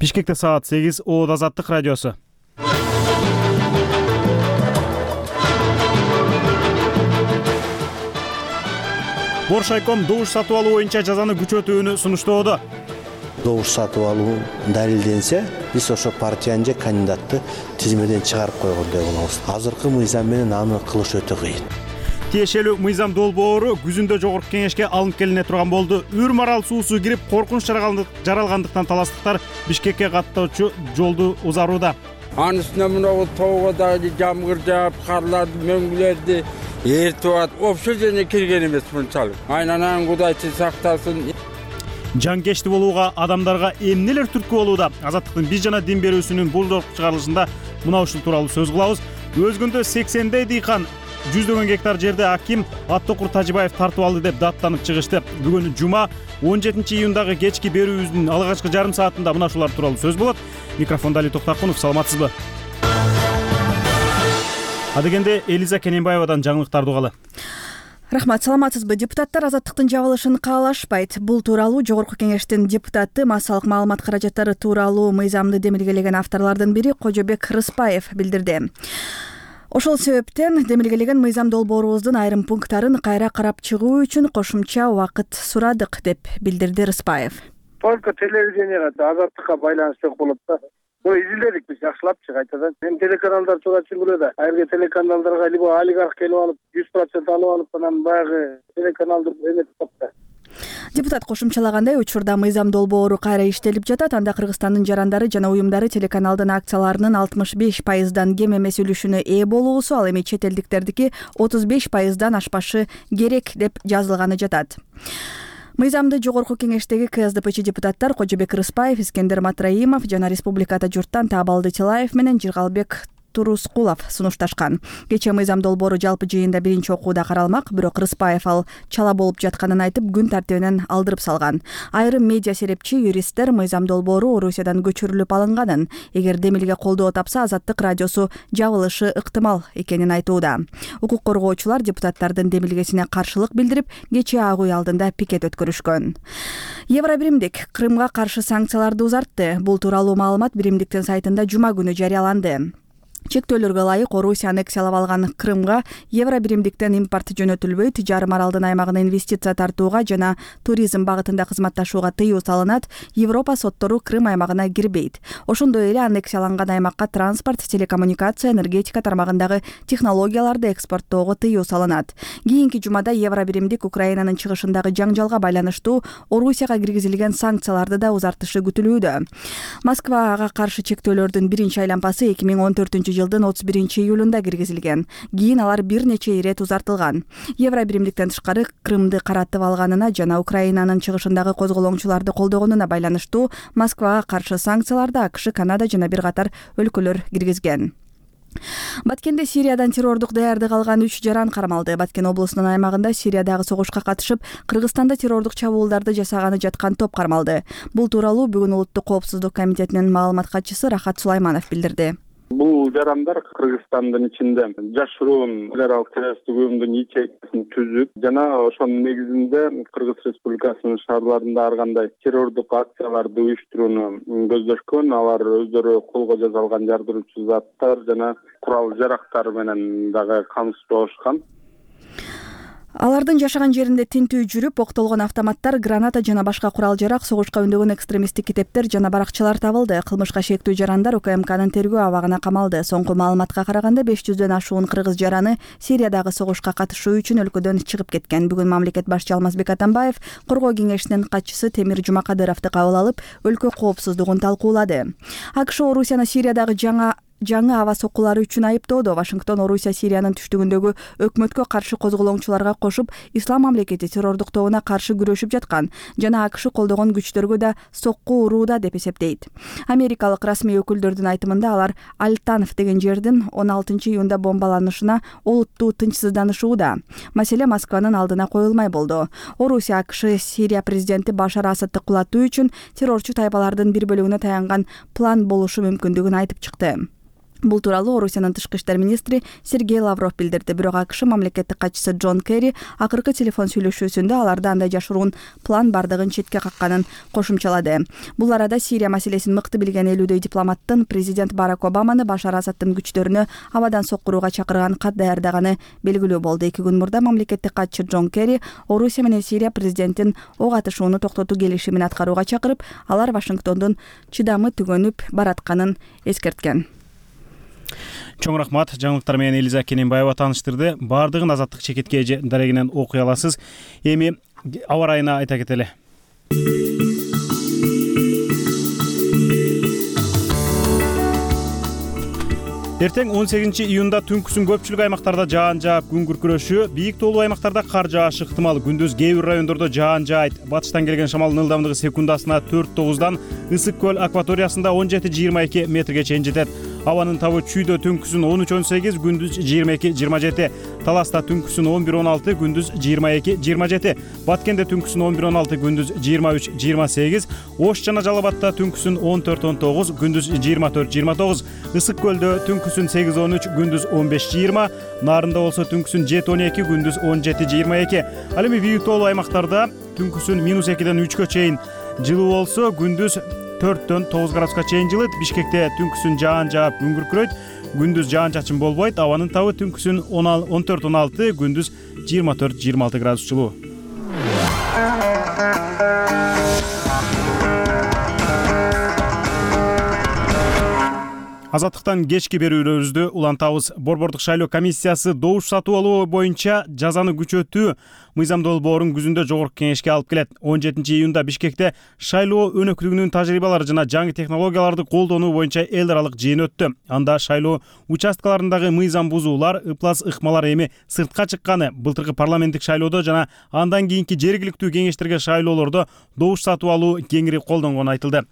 Бишкекте саат 8. Оот Азаттык радиосу. Боршайком добуш сатып алуу боюнча жазаны күчөтүүнү сунуштоодо. Добуш сатып алуу далилденсе, биз ошо партиянын же кандидатты тизмеден чыгарып койгондой болобуз. Азыркы мыйзам менен аны кылыш өтө кыйын. Тиешелүү мыйзам долбоору күзүндө жогорку кеңешке алынып келине турган болду. Үр-Марал суусу кирип, коркунуч жаралгандыктан таластыктар Бишкекке каттоочу жолду узарууда. Анын үстүнө мына тоого дагы жамгыр жаап, карларды, мөңгүлөрдү эртип атып, вообще жерине кирген эмес мынчалык. Айнанан Кудайчы сактасын. Жанкечти болууга адамдарга эмнелер түрткү болууда? Азаттыктын биз жана дин берүүсүнүн бул жолку чыгарылышында мына ушул тууралуу сөз кылабыз. Өзгөндө 80дей дыйкан 100 гектар жерде аким Аттокур Тажибаев тартып алды деп даттанып чыгышты. Бүгүн жума 17 июндагы кечки берүүбүздүн алгачкы жарым саатында мына ушулар тууралуу сөз болот. Микрофондо Али Токтакунов, саламатсызбы? Адегенде Элиза Кененбаевадан жаңылыктарды угалы. Рахмат, саламатсызбы? Депутаттар азаттыктын жабылышын каалашпайт. Бул тууралуу Жогорку кеңештин депутаты массалык маалымат каражаттары тууралуу мыйзамды демилгелеген авторлордун бири Кожобек Рыспаев билдирди. Ошол себептен демилгелеген мыйзам долбоорубуздун айрым пункттарын кайра карап чыгуу үчүн кошумча убакыт сурадык деп билдирди Рыспаев. Только телевиденияга азаттыкка байланыштуу болот да. Муну изилдедик биз жакшылапчы кайтадан. Эми телеканалдар туура түшүнгүлө да. Айры телеканалдарга либо олигарх келип алып 100% алып алып, анан баягы телеканалды эметип калды. Депутат кошумчалагандай, учурда мыйзам долбоору кайра иштелип жатат. Анда Кыргызстандын жарандары жана уюмдары телеканалдын акцияларынын 65%дан кем эмес үлүшүнө ээ болуусу, ал эми чет элдиктердики 35%дан ашпашы керек деп жазылганы жатат. Мыйзамды Жогорку кеңештеги КСДПчи депутаттар Кожобек Рыспаев, Искендер Матраимов жана республикада журттан Таабалды Тилаев менен Жыргалбек Турускулов сунушташкан. Кечээ мыйзам долбоору жалпы жыйында биринчи окууда каралмак, бирок Рыспаев ал чала болуп жатканын айтып, күн тартибинен алдырып салган. Айрым медиа серепчи, юристтер мыйзам долбоору Орусиядан көчүрүлүп алынганын, эгер демилге колдоо тапса, Азаттык радиосу жабылышы ыктымал экенин айтууда. Укук коргоочулар депутаттардын демилгесине каршылык билдирип, кечээ Ак үй алдында пикет өткөрүшкөн. Евробиримдик Крымга каршы санкцияларды узартты. Бул тууралуу маалымат биримдиктин сайтында жума күнү жарыяланды. Чектөөлөргө ылайык Орусия аннексиялап алган Крымга Евробиримдиктен импорт жөнөтүлбөйт, жарым аралдын аймагына инвестиция тартууга жана туризм багытында кызматташууга тыюу салынат, Европа соттору Крым аймагына кирбейт. Ошондой эле аннексияланган аймакка транспорт, телекоммуникация, энергетика тармагындагы технологияларды экспорттоого тыюу салынат. Кийинки жумада Евробиримдик Украинанын чыгышындагы жаңжалга байланыштуу Орусияга киргизилген санкцияларды да узартышы күтүлүүдө. Москвага каршы чектөөлөрдүн биринчи айланпасы 2014 жылдын 31 июлунда киргизилген. Кийин алар бир нече ирет узартылган. Евробиримдиктен тышкары Крымды каратып алганына жана Украинанын чыгышындагы козголоңчуларды колдогонуна байланыштуу Москвага каршы санкцияларды АКШ, Канада жана бир катар өлкөлөр киргизген. Баткенде Сириядан террордук даярдык алган 3 жаран кармалды. Баткен облусунун аймагында Сириядагы согушка катышып, Кыргызстанда террордук чабуулдарды жасаганы жаткан топ кармалды. Бул тууралуу бүгүн Улуттук коопсуздук комитетинин маалымат катчысы Рахат Сулайманов билдирди. Бул жарандар Кыргызстандын ичинде жашыруун террорлук террористтик уюмдун ячейкасин түзүп жана ошонун негизинде Кыргыз Республикасынын шаарларында ар кандай террордук акцияларды уюштурууну көздөшкөн. Алар өздөрү колго жасалган жардыруучу заттар жана курал жарактар менен дагы камсыз болушкан. Алардын жашаган жеринде тинтүү жүрүп, октолгон автоматтар, граната жана башка курал жарак, согушка үндөгөн экстремисттик китептер жана баракчалар табылды. Кылмышка шектүү жарандар УКМКнын тергөө абагына камалды. Соңку маалыматка караганда 500дөн ашуун кыргыз жараны Сириядагы согушка катышуу үчүн өлкөдөн чыгып кеткен. Бүгүн мамлекет башчы Алмазбек Атамбаев коргоо кеңешинин катчысы Темир Жумакадыровду кабыл алып, өлкө коопсуздугун талкуулады. АКШ Орусияны Сириядагы жаңы аба соккулары үчүн айыптоодо. Вашингтон Орусия Сириянын түштүгүндөгү өкмөткө каршы козголоңчуларга кошуп, Ислам мамлекети террордук тобуна каршы күрөшүп жаткан жана АКШ колдогон күчтөргө да сокку урууда деп эсептейт. Америкалык расмий өкүлдөрдүн айтымында алар Альтанов деген жердин 16 июнда бомбаланышына олуттуу тынчсызданышууда. Маселе Москванын алдына коюлмай болду. Орусия АКШ Сирия президенти Башар Асадты кулатуу үчүн террорчу тайпалардын бир бөлүгүнө таянган план болушу мүмкүндүгүн айтып чыкты. Бул тууралуу Орусиянын тышкы иштер министри Сергей Лавров билдирди. Бирок АКШ мамлекеттик катчысы Джон Керри акыркы телефон сүйлөшүүсүндө аларда андай жашыруун план бардыгын четке какканын кошумчалады. Бул арада Сирия маселесин мыкты билген элүүдөй дипломаттын президент Барак Обаманы Башар Асадтын күчтөрүнө абадан соккурууга чакырган кат даярдаганы белгилүү болду. 2 күн мурда мамлекеттик катчы Джон Керри Орусия менен Сирия президентин ок атышууну токтотуу келишимин аткарууга чакырып, алар Вашингтондун чыдамы түгөнүп баратканын эскерткен. Чоң рахмат. Жаңылыктар менен Элиза Кененбаева тааныштырды. Бардыгын Азаттык чекитке дарегинен окуй аласыз. Эми аба ырайына айта кетели. Эртең 18-июнда түнкүсүн көпчүлүк аймактарда жаан жаап, күн күркүрөшү, бийик тоолуу аймактарда кар жаашы ыктымал. Күндүз кээ бир райондордо жаан жаайт. Батыштан келген шамалдын ылдамдыгы секундасына 4-9дан, Ысык көл акваториясында 17-22 метрге чейин жетет. Абанын табы Чүйдө түнкүсүн 13-18, күндүз 22-27. Таласта түнкүсүн 11-16, күндүз 22-27. Баткенде түнкүсүн 11-16, күндүз 23-28. Ош жана Жалал Абадта түнкүсүн 14-19, күндүз 24-29. Ысык көлдө түнкүсүн 8-13, күндүз 15-20. Нарында болсо түнкүсүн 7-12, күндүз 17-22. Ал эми бийик тоолуу аймактарда түнкүсүн -2-ден 3кө чейин жылуу болсо, күндүз 4-9 градуска чейин жылыт. Бишкекте түнкүсүн жаан жаап, күн күркүрөйт. Күндүз жаан-чачын болбойт. Абанын табы түнкүсүн 14-16, күндүз 24-26 градус жылуу. Азаттыктан кечки берүүлөрүбүздү улантабыз. Борбордук шайлоо комиссиясы добуш сатып алуу боюнча жазаны күчөтүү мыйзам долбоорун күзүндө жогорку кеңешке алып келет. 17-июнда Бишкекте шайлоо өнөктүгүнүн тажрыйбалары жана жаңы технологияларды колдонуу боюнча эл аралык жыйын өттү. Анда шайлоо участкаларындагы мыйзам бузуулар, ыплас ыкмалар эми сыртка чыкканы, былтыркы парламенттик шайлоодо жана андан кийинки жергиликтүү кеңештерге шайлоолордо добуш сатып алуу кеңири колдонгону айтылды.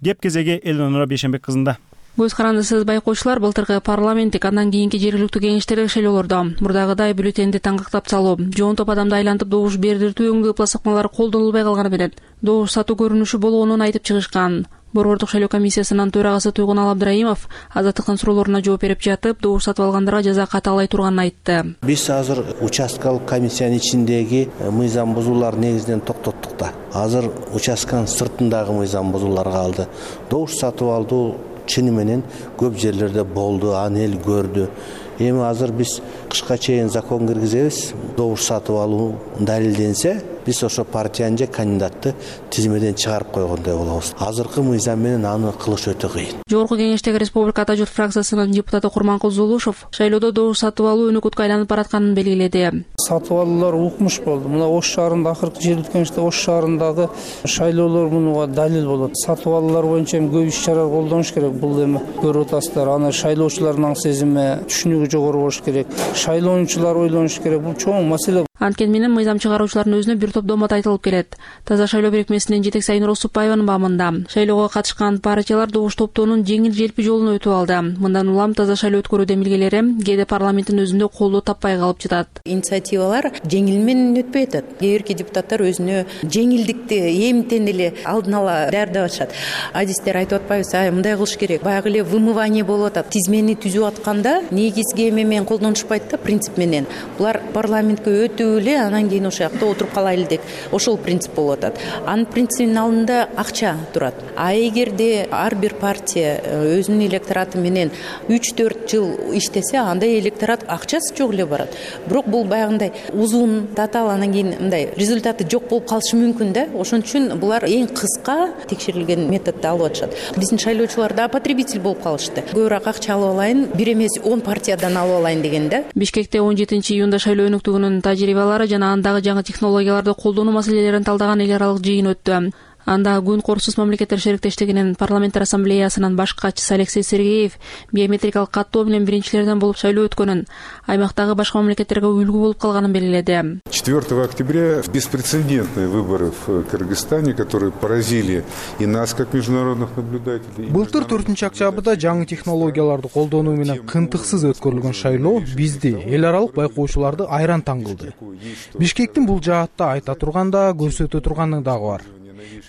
Кеп кезеги Элнура Бейшенбек кызында. Көз карандысыз байкоочулар, былтыркы парламенттик андан кийинки жергиликтүү кеңештердеги шайлоолордо мурдагыдай бюллетенди таңгактап салуу, жоон топ адамды айлантып добуш бердиртүү өңдүү ыплас ыкмалар колдонулбай калганы менен добуш сатуу көрүнүшү болгонун айтып чыгышкан. Борбордук шайлоо комиссиясынын төрагасы Туйгун Абдрайымов Азаттыктын суроолоруна жооп берип жатып, добуш сатып алгандарга жаза катаалай турганын айтты. Биз азыр участкалык комиссиянын ичиндеги мыйзам бузуулар негизинен токтоттук да. Азыр участканын сыртындагы мыйзам бузуулар калды. Добуш сатып алуу чыны менен көп жерлерде болду, аны эл көрдү. Эми азыр биз кышка чейин закон киргизебиз. Добуш сатып алуу далилденсе, биз ошо партияны же кандидатты тизмеден чыгарып койгондой болобуз. Азыркы мыйзам менен аны кылыш өтө кыйын. Жогорку кеңештеги Республика Ата журт фракциясынын депутаты Курманкул Зулушев шайлоодо добуш сатып алуу өнөкөткө айланып баратканын белгиледи. Сатып алуулар укмуш болду. Мына Ош шаарында акыркы жергиликтүү кеңеште Ош шаарындагы шайлоолор мунуга далил болот. Сатып алуулар боюнча көп иш-чара колдонуш керек. Бул эми көрүп атасыздар. Аны шайлоочулардын сезими, түшүнүгү жогору болуш керек. Шайлоочулар ойлонуш керек. Бул чоң маселе. Анткени менен мыйзам чыгаруучулардын өзүнө бир топ домат айтылып келет. Таза шайлоо бирикмесинин жетекчиси Айнур Осупбаеванын баамында шайлоого катышкан партиялар добуш топтоонун жеңил-желпи жолун өтүп алды. Мындан улам таза шайлоо өткөрүү демилгелери кээде парламенттин өзүндө колдоо таппай калып жатат. Инициативалар жеңил менен өтпөй атат. Кээ бирки депутаттар өзүнө жеңилдикти эмтен эле алдын ала даярдап атышат. Адистер айтып атпайбызбы, мындай кылыш керек. Баягы эле вымывание болуп атат. Тизмени түзүп атканда негизги эме менен колдонушпайт да, принцип менен. Булар парламентке өтүп эле анан кийин ошол жакта отуруп калайлы деп ошол принцип болуп атат. Анын принцибинин алдында акча турат. А эгерде ар бир партия өзүнүн электораты менен 3-4 жыл иштесе, анда электорат акчасы жок эле барат. Бирок бул баягындай узун, татаал, анан кийин мындай результаты жок болуп калышы мүмкүн да. Ошон үчүн булар эң кыска текшерилген методду алып атышат. Биздин шайлоочулар да потребитель болуп калышты. Көбүрөөк акча алып алайын, бир эмес 10 партиядан алып алайын деген да. Бишкекте 17-июнда шайлоо өнөктүгүнүн тажрыйбалары жана андагы жаңы технологияларды колдонуу маселелерин талдаган эл аралык жыйын өттү. Анда Күн Коопсуз мамлекеттер шериктештигинин парламенттер ассамблеясынын баш катчысы Алексей Сергеев биометрикалык каттоо менен биринчилерден болуп шайлоо өткөнүн, аймактагы башка мамлекеттерге үлгү болуп калганын белгиледи. 4 октября беспрецедентные выборы в Кыргызстане, которые поразили и нас как международных наблюдателей. Былтыр 4-октябрда жаңы технологияларды колдонуу менен кынтыксыз өткөрүлгөн шайлоо бизди, эл аралык байкоочуларды айран таң кылды. Бишкектин бул жаатта айта турганда көрсөтө турганы дагы бар.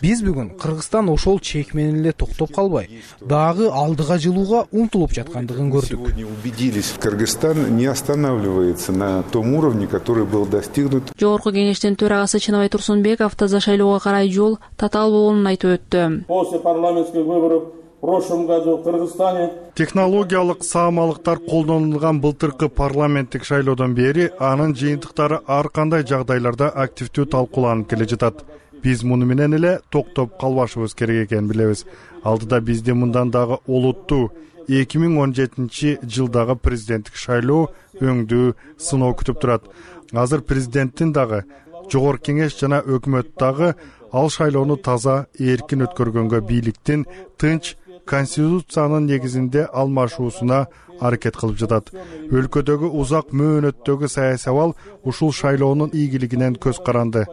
биз бүгүн Кыргызстан ошол чек менен эле токтоп калбай, дагы алдыга жылууга умтулуп жаткандыгын көрдүк. Сегодня убедились, Кыргызстан не останавливается на том уровне, который был достигнут. Жогорку кеңештин төрагасы Чынабай Турсунбеков таза шайлоого карай жол татаал болгонун айтып өттү. После парламентских выборов в прошлом году в Кыргызстане технологиялык саамалыктар колдонулган былтыркы парламенттик шайлоодон бери анын жыйынтыктары ар кандай жагдайларда активдүү талкууланып келе жатат. Биз муну менен эле токтоп калбашыбыз керек экенин билебиз. Алдыда бизди мындан дагы олуттуу 2017 жылдагы президенттик шайлоо өңдүү сыноо күтүп турат. Азыр президенттин дагы, жогорку кеңеш жана өкмөт дагы ал шайлоону таза, эркин өткөргөнгө бийликтин тынч конституциянын негизинде алмашуусуна аракет кылып жатат. Өлкөдөгү узак мөөнөттөгү саясий абал ушул шайлоонун ийгилигинен көз каранды.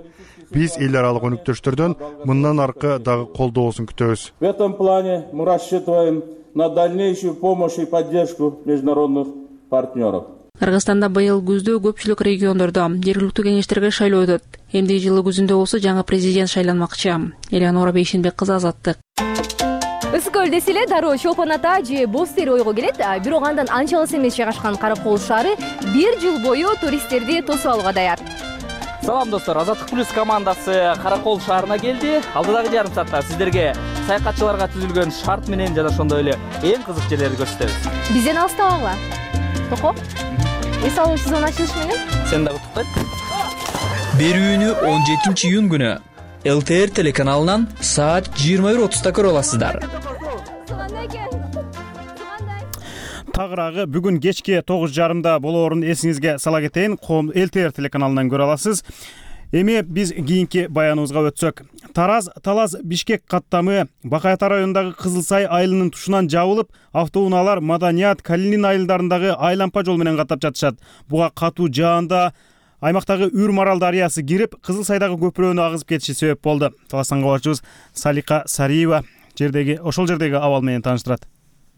Биз эл аралык өнүктөштөрдөн мындан аркы дагы колдоосун күтөбүз. В этом плане мы рассчитываем на дальнейшую помощь и поддержку международных партнеров. Кыргызстанда быйыл күздө көпчүлүк региондордо жергиликтүү кеңештерге шайлоо өтөт. Эмдиги жылы күзүндө болсо жаңы президент шайланмакчы. Элеонора Бейшенбек кызы, Азаттык. Ысык өлдөсү эле дароо Чолпон ата же Боз Тери ойго келет. Бирок андан анча алыс эмес жайгашкан Каракол шаары 1 жыл бою туристтерди тосуп алууга даяр. Салам достор, Азаттык плюс командасы Каракол шаарына келди. Алдыдагы жарым саатта сиздерге саякатчыларга түзүлгөн шарт менен жана ошондой эле эң кызык жерлерди көрсөтөбүз. Бизден алыстабагыла. Токо. Эс алуу сезон ачылыш менен. Сен дагы туктайт. Берүүнү 17 июнь күнү ЛТР телеканалынан саат 21:30-да көрө аласыздар. Тагыраагы бүгүн кечки 9:30 болоорун эсиңизге сала кетейин. ЛТР телеканалынан көрө аласыз. Эми биз кийинки баяныбызга өтсөк. Тараз Бишкек каттамы Бакаята районундагы Кызылсай айылынын тушунан жабылып, автоунаалар Маданият, Калинин айылдарындагы айлампа жол менен каттап жатышат. Буга катуу жаанда аймактагы Үр-Марал дарыясы кирип, Кызылсайдагы көпүрөнү агызып кетиши себеп болду. Таластан кабарчыбыз Салика Сариева ошол жердеги абал менен тааныштырат.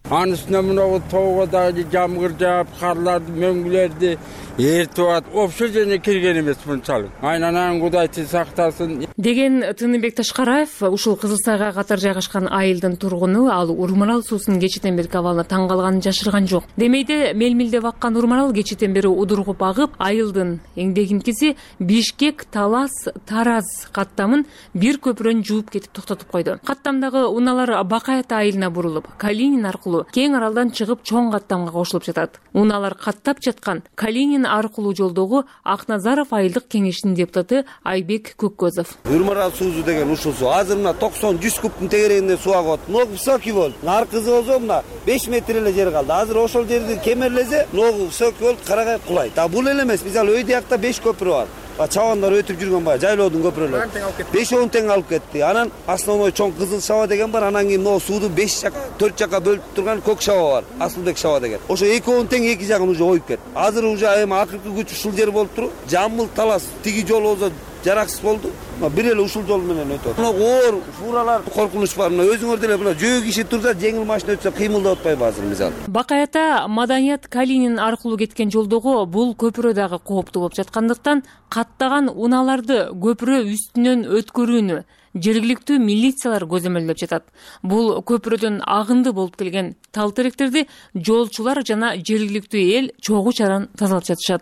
Анын үстүнө мына тоого дагы жамгыр жаап, карларды, мөңгүлөрдү эртип атат. Ошол жерге кирген эмес мынчалык. Айнанан Кудайчы сактасын деген Тыныбек Ташкараев ушул Кызылсайга катар жайгашкан айылдын тургуну. Ал Ур-Марал суусунун кечитен берки абалына таң калганын жашырган жок. Демейде мелмилдеп аккан Ур-Марал кечитен бери удургуп агып, айылдын эңдегинкиси Бишкек Тараз каттамын бир көпүрөнү жууп кетип токтотуп койду. Каттамдагы унаалар Бакаята айылына бурулуп, Калинин аркылуу кең аралдан чыгып чоң каттамга кошулуп жатат. Унаалар каттап жаткан Калинин аркылуу жолдогу Акназаров айылдык кеңешинин депутаты Айбек Көккөзов. Үр-Марал суусу деген ушул суу. Азыр мына 90-100 кубтун тегерегинде суу агып атат. Ногу высокий болду. Аркысы болсо мына 5 метр эле жер калды. Азыр ошол жерди кемерлесе, ногу высокий болуп карагай кулайт. Бул эле эмес, мисалы өй диякта 5 көпүрө бар. Чабандар өтүп жүргөн баягы жайлоодун көпүрөлөрү 5-10 тең алып кетти. Анан основной чоң Кызыл Шаба деген бар. Анан кийин могу сууду 4 жакка бөлүп турган Көк Шаба бар. Асылбек Шаба деген. Ошо 2-10 тең эки жагын уже оюп кетти. Азыр уже эми акыркы күч ушул жер болуп туруп, Жамбыл Талас тиги жол болсо жараксыз болду. Бир эле ушул жол менен өтөт. Мына оор фуралар коркунуч бар. Мына өзүңөр деле мына жөө киши турса, жеңил машина өтсө кыймылдап атпайбы азыр мисалы. Бакаята Маданият Калинин аркылуу кеткен жолдогу бул көпүрө дагы кооптуу болуп жаткандыктан каттаган унааларды көпүрө үстүнөн өткөрүүнү жергиликтүү милициялар көзөмөлдөп жатат. Бул көпүрөдөн агынды болуп келген тал теректерди жолчулар жана жергиликтүү эл чогуу чаран тазалап жатышат.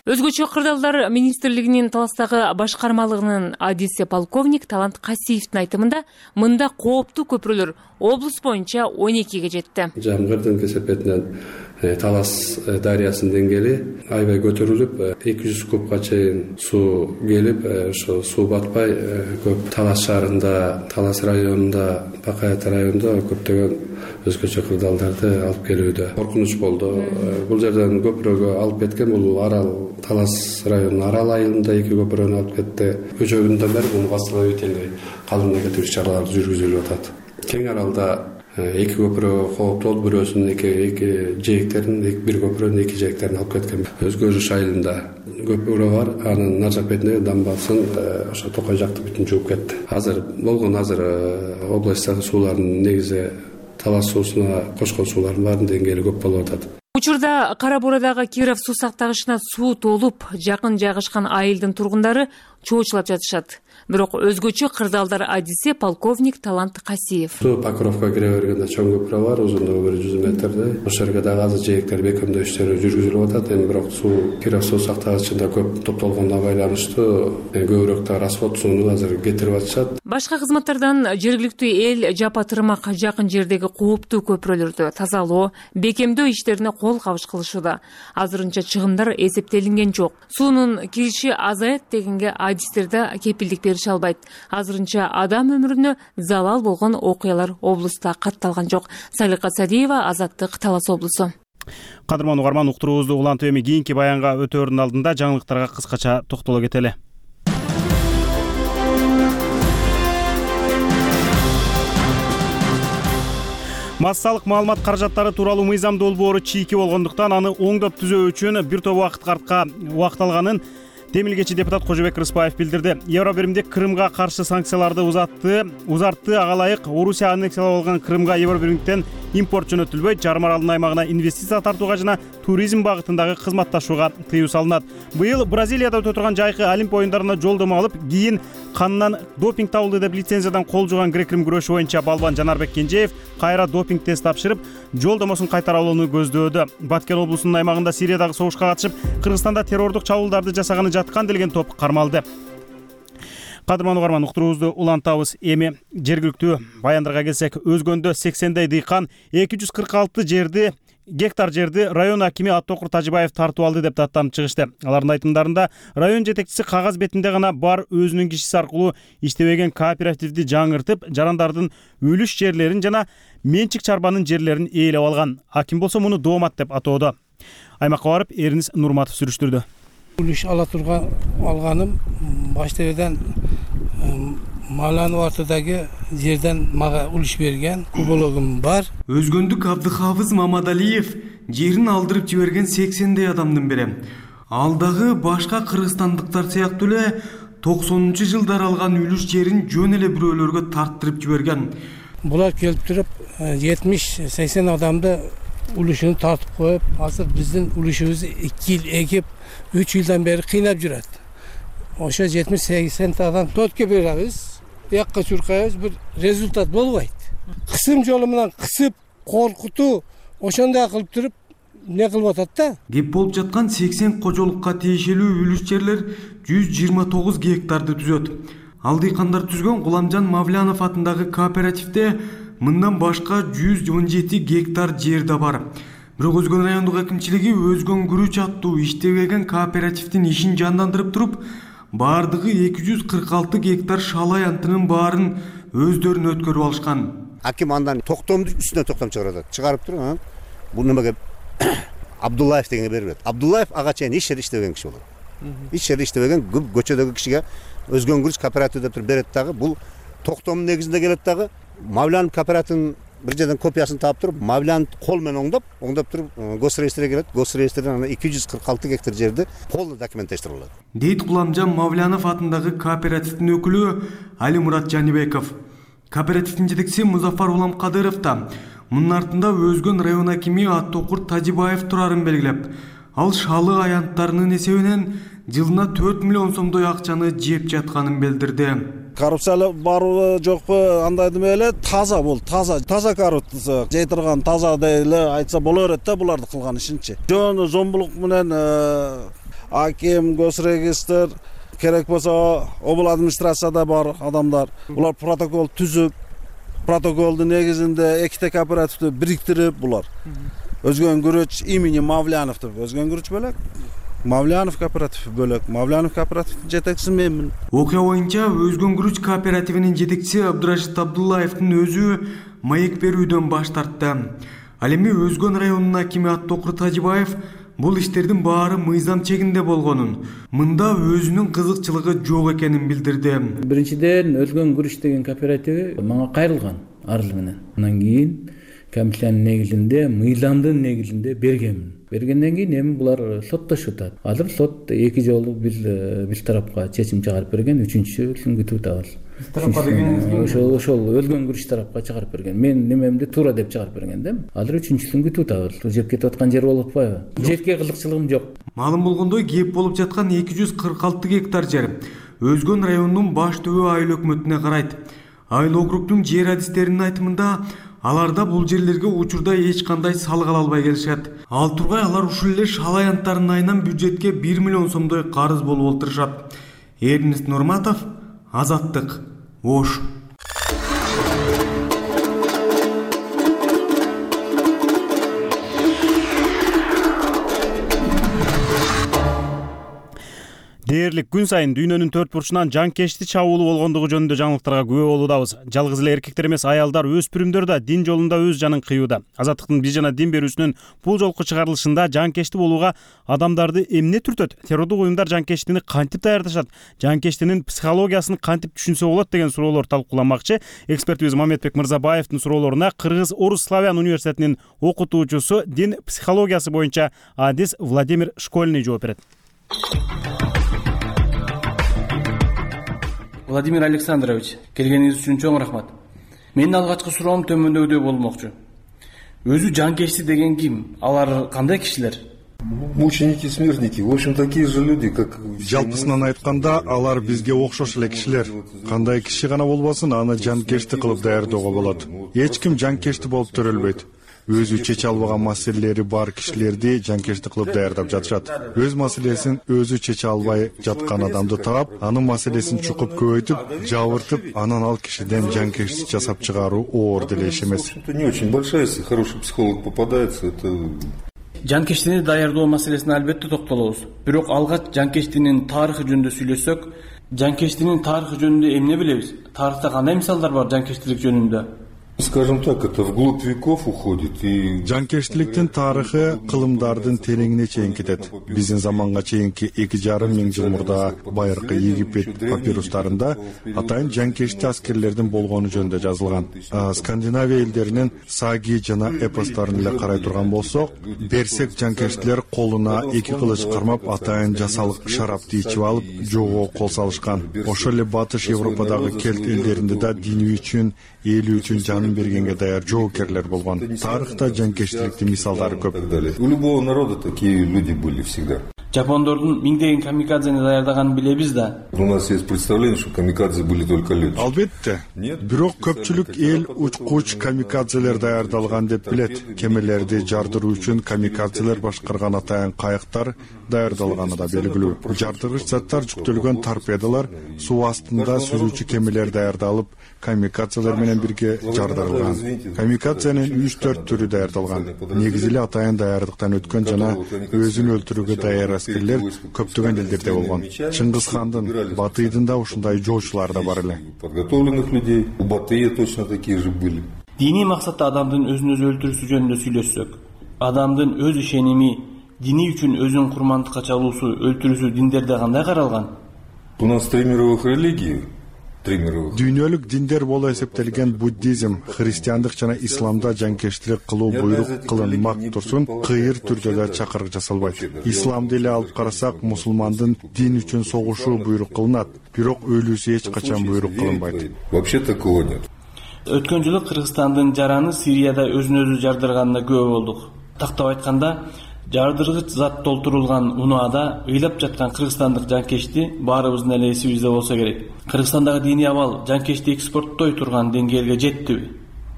Өзгөчө кырдаалдар министрлигинин Таластагы башкармалыгынын адиси полковник Талант Касиевдин айтымында мында кооптуу көпүрөлөр облус боюнча 12ге жетти. Жамгырдын кесепетинен Талас дарыясынын деңгээли аябай көтөрүлүп, 200 кубка чейин суу келип, ошо суу батпай көп Талас шаарында, Талас районунда, Бакаята районунда көптөгөн өзгөчө кырдаалдарды алып келүүдө коркунуч болду. Бул жерден көпүрөгө алып кеткен бул Арал Талас районунун Арал айылында 2 көпүрөнү алып кетти. Көчө күнүнөн бери муну восстановительный калыбына келтирүү чаралары жүргүзүлүп атат. Кең аралда 2 көпүрө кооптуу болуп, бирөөсүнүн эки жээктерин, бир көпүрөнүн 2 жээктерин алып кеткен. Өзгөрүш айылында көпүрө бар, анын нар жак бетиндеги дамбасын ошо Токой жакты бүтүн жууп кетти. Азыр областтагы суулардын негизи Талас суусуна кошкон суулардын баарынын деңгээли көп болуп атат. Учурда Кара Буурадагы Киров суу сактагычына суу толуп, жакын жайгашкан айылдын тургундары чоочулап жатышат. Бирок өзгөчө кырдаалдар адиси полковник Талант Касиев. Суу Покровко кире бергенде чоң көпүрө бар, узундугу 100 метрдей. Ошол жерге дагы азыр жээктер бекемдөө иштери жүргүзүлүп атат. Эми бирок суу Киров суу сактагычында көп топтолгондо байланыштуу көбүрөөк да расход сууну азыр кетирип атышат. Башка кызматтардан жергиликтүү эл жапа тырмак жакын жердеги кооптуу көпүрөлөрдү тазалоо, бекемдөө иштерине кол кабыш кылышууда. Азырынча чыгымдар эсептелинген жок. Суунун кириши азаят дегенге адистер да кепилдик берише албайт. Азырынча адам өмүрүнө залал болгон окуялар облуста катталган жок. Салика Садиева, Азаттык, Талас облусу. Кадырман угарман, уктуруубузду улантып эми кийинки баянга өтөөрдүн алдында жаңылыктарга кыскача токтоло кетели. Массалык маалымат каражаттары тууралуу мыйзам долбоору чийки болгондуктан аны оңдоп түзөө үчүн бир топ убакыт алганын Темилгечи депутат Кожобек Рыспаев билдирди. Евробиримдик Крымга каршы санкцияларды узартты. Ага ылайык Орусия аннексиялап алган Крымга Евробиримдиктен импорт жөнөтүлбөйт, Чар Маралдын аймагына инвестиция тартууга жана туризм багытындагы кызматташууга тыюу салынат. Быйыл Бразилияда өтө турган жайкы Олимп оюндарына жолдомо алып, кийин канынан допинг табылды деп лицензиядан кол жууган грек-рим күрөшү боюнча балбан Жанарбек Кенжеев кайра допинг тест тапшырып, жолдомосун кайтара алууну көздөөдө. Баткен облусунун аймагында Сириядагы согушка катышып, Кыргызстанда террордук чабуулдарды жасаганы жаткан делген топ кармалды. Кадырман угарман, уктуруубузду улантабыз. Эми жергиликтүү баяндарга келсек, Өзгөндө 80дей дыйкан 246 гектар жерди район акими Аттокур Тажибаев тартып алды деп даттанып чыгышты. Алардын айтымдарында район жетекчиси кагаз бетинде гана бар өзүнүн кишиси аркылуу иштебеген кооперативди жаңыртып, жарандардын үлүш жерлерин жана менчик чарбанын жерлерин ээлеп алган. Аким болсо муну доомат деп атоодо. Аймакка барып Эринис Нурматов сүрүштүрдү. Үлүш ала турган алганым баштабыдан Маланов артыдагы жерден мага үлүш берген кубологум бар. Өзгөндүк Абдыхафыз Мамадалиев жерин алдырып жиберген 80дей адамдын бири. Ал дагы башка кыргызстандыктар сыяктуу эле 90-жылдар алган үлүш жерин жөн эле бирөөлөргө тарттырып жиберген. Булар келип туруп 70-80 адамды үлүшүн тартып коюп, азыр биздин үлүшүбүздү 2 жыл экип 3 жылдан бери кыйнап жүрөт. Ошо 70-80 адам тотке беребиз, якка чуркайбыз, бир результат болбойт. Кысым жолу менен кысып, коркутуу, ошондой кылып туруп не кылып атат да. Кеп болуп жаткан 80 кожолукка тиешелүү үлүш жерлер 129 гектарды түзөт. Ал дыйкандар түзгөн Гуламжан Мавлянов атындагы кооперативде мындан башка 117 гектар жер да бар. Бирок Өзгөн райондук акимчилиги Өзгөн күрүч аттуу иштебеген кооперативдин ишин жандандырып туруп, бардыгы 246 гектар шалай антынын баарын өздөрүнө өткөрүп алышкан. Аким андан токтомду үстүнө токтом чыгарып туруп, бул немеге Абдуллаев дегенге берип берет. Абдуллаев ага чейин эч жерде иштебеген киши болот. Эч жерде иштебеген көчөдөгү кишиге Өзгөн күрүч кооператив деп берет дагы, бул токтомдун негизинде келет дагы. Мавлянов кооперативинин бир жерден копиясын таап туруп, Мавлянов кол менен оңдоп туруп, госреестрге келет. Госреестрден ана 246 гектар жерди полный документаштырылат. Дейт Гуламжан Мавлянов атындагы кооперативдин өкүлү Али Мурат Жанибеков. Кооперативдин жетекчиси Музафар Улам Кадыров да мунун артында Өзгөн район акими Аттокур Тажибаев турарын белгилеп, ал шалы аянттарынын эсебинен жылына 4 миллион сомдой акчаны жеп жатканын билдирди. Коррупциялы барбы жокпу андай деме эле, таза бул, таза коррупция жей турган таза эле айтса боло берет да буларды кылган ишинчи. Жөн зомбулук менен аким, госрегистр, керек болсо обл администрацияда бар адамдар, булар протокол түзүп, протоколдун негизинде эките кооперативди бириктирип булар. Өзгөн күрөч имени Мавлянов деп, Өзгөн күрөч бөлөк, Мавлянов кооперативи бөлөк, Мавлянов кооперативдин жетекчиси менмин. Окуя боюнча Өзгөн күрөч кооперативинин жетекчиси Абдурашид Абдуллаевдин өзү маек берүүдөн баш тартты. Ал эми Өзгөн районунун акими Аттокур Тажибаев бул иштердин баары мыйзам чегинде болгонун, мында өзүнүн кызыкчылыгы жок экенин билдирди. Биринчиден Өзгөн күрүч деген кооперативи мага кайрылган арыз менен. Андан кийин комиссиянын негизинде, мыйзамдын негизинде бергенмин. Бергенден кийин эми булар соттошуп атат. Азыр сот 2 жолу бир тарапка чечим чыгарып берген, 3-үчүсүн күтүп атабыз. Тарапка дегениңиз ошол өлгөн күрүч тарапка чыгарып берген. Мен немемди туура деп чыгарып берген да. Азыр 3-үчүсүн күтүп атабыз. Жеп кетип аткан жер болуп атпайбы? Жерге кызыкчылыгым жок. Маалым болгондой, кеп болуп жаткан 246 гектар жер Өзгөн районунун баш түбү айыл өкмөтүнө карайт. Айыл округдун жер адистеринин айтымында аларда бул жерлерге учурда эч кандай салык ала албай келишет. Ал тургай алар ушул эле шал аянттардын айынан бюджетке 1 миллион сомдой карыз болуп олтурушат. Эрнест Нурматов, Азаттык, Ош. Дээрлик күн сайын дүйнөнүн төрт бурчунан жанкечти чабуулу болгондугу жөнүндө жаңылыктарга күбө болуудабыз. Жалгыз эле эркектер эмес, аялдар, өспүрүмдөр да дин жолунда өз жанын кыюуда. Азаттыктын бир жана дин берүүсүнүн бул жолку чыгарылышында жанкечти болууга адамдарды эмне түртөт? Террордук уюмдар жанкечтини кантип даярдашат? Жанкечтинин психологиясын кантип түшүнсө болот деген суроолор талкууламакчы. Экспертибиз Мамедбек Мырзабаевдин суроолоруна Кыргыз Орус Славян университетинин окутуучусу, дин психологиясы боюнча адис Владимир Школьный жооп берет. Владимир Александрович, келгениңиз үчүн чоң рахмат. Менин алгачкы суроом төмөндөгүдөй болмокчу. Өзү жанкечти деген ким? Алар кандай кишилер? Мученики, смертники, в общем, такие же люди, как... Жалпысынан айтканда, алар бизге окшош эле кишилер. Кандай киши гана болбосун, аны жанкечти кылып даярдоого болот. Эч ким жанкечти болуп төрөлбөйт. Өзү чече албаган маселелери бар кишилерди жанкечти кылып даярдап жатышат. Өз маселесин өзү чече албай жаткан адамды таап, анын маселесин чукуп көбөйтүп, жабыртып, анан ал кишиден жанкечти жасап чыгаруу оор деле иш эмес. Это не очень большая, если хороший психолог попадается, это... Жанкечтини даярдоо маселесине албетте токтолобуз. Бирок алгач жанкечтинин тарыхы жөнүндө сүйлөшсөк, жанкечтинин тарыхы жөнүндө эмне билебиз? Тарыхта кандай мисалдар бар жанкечтилик жөнүндө? Скажем так, это вглубь веков уходит и... Жанкечтиликтин тарыхы кылымдардын тереңине чейин кетет. Биздин заманга чейинки 2,5 миң жыл мурда байыркы Египет папирустарында атайын жанкечти аскерлердин болгону жөнүндө жазылган. Скандинавия элдеринин саги жана эпостарын эле карай турган болсок, берсек жанкечтилер колуна 2 кылыч кармап атайын жасалык шарапты ичип алып, жоого кол салышкан. Ошол эле батыш Европадагы кельт элдеринде да дини үчүн, эли үчүн жанын бергенге даяр жоокерлер болгон. Тарыхта жанкечтиликтин мисалдары көп. У любого народа такие люди были всегда. Жапондордун миңдеген камикадзени даярдаганын билебиз да. У нас есть представление, что камикадзе были только летчики. Албетте. Бирок көпчүлүк эл учкуч камикадзелер даярдалган деп билет. Кемелерди жардыруу үчүн камикадзелер башкарган атайын кайыктар даярдалганы да белгилүү. Жардыргыч заттар жүктөлгөн торпедалар суу астында сүзүүчү кемелер даярдалып, камикадзелер менен бирге жардырылган. Камикадзенин 3-4 түрү даярдалган. Негизи эле атайын даярдыктан өткөн жана өзүн өлтүрүүгө даяр аскерлер көптөгөн элдерде болгон. Чыңгыз хандын, Батыйдын да ушундай жоочулар да бар эле. Подготовленных людей у Батыя точно такие же были. Диний максатта адамдын өзүн өзү өлтүрүүсү жөнүндө сүйлөшсөк, адамдын өз ишеними, дини үчүн өзүн курмандыкка чалуусу, өлтүрүүсү диндерде кандай каралган? У нас 3 мировых религий. Дүйнөлүк диндер боло эсептелген буддизм, христиандык жана исламда жанкечтилик кылуу буйрук кылынмак турсун, кыйыр түрдө да чакырык жасалбайт. Исламды эле алып карасак, мусулмандын дин үчүн согушуу буйрук кылынат, бирок өлүүсү эч качан буйрук кылынбайт. Вообще такого нет. Өткөн жылы Кыргызстандын жараны Сирияда өзүн өзү жардырганына күбө болдук. Тактап айтканда, жардыргыч зат толтурулган унаада ыйлап жаткан кыргызстандык жанкечти баарыбыздын эле эсибизде болсо керек. Кыргызстандагы диний абал жанкечти экспорттой турган деңгээлге жеттиби?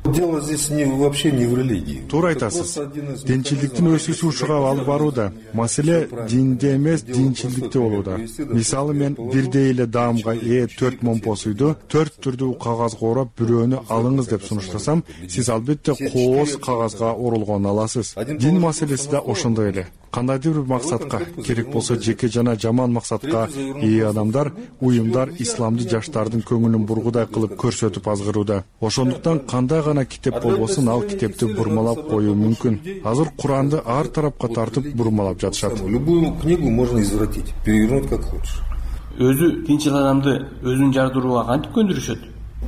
Дело здесь вообще не в религии. Туура айтасыз. Динчиликтин өсүүсү ушуга алып барууда. Маселе динде эмес, динчиликте болууда. Мисалы мен бирдей эле даамга 4 момпос үйдү 4 түрдүү кагазга ороп, бирөөнү алыңыз деп сунуштасам, сиз албетте кооз кагазга оролгонун аласыз. Дин маселеси да ошондой эле. Кандайдыр бир максатка, керек болсо жеке жана жаман максатка ээ адамдар, уюмдар исламды жаштардын көңүлүн бургудай кылып көрсөтүп азгырууда. Ошондуктан кандай гана китеп болбосун, ал китепти бурмалап коюу мүмкүн. Азыр Куранды ар тарапка тартып бурмалап жатышат. Любую книгу можно извратить, перевернуть как хочешь. Өзү тинчил адамды өзүн жардырууга кантип көндүрүшөт?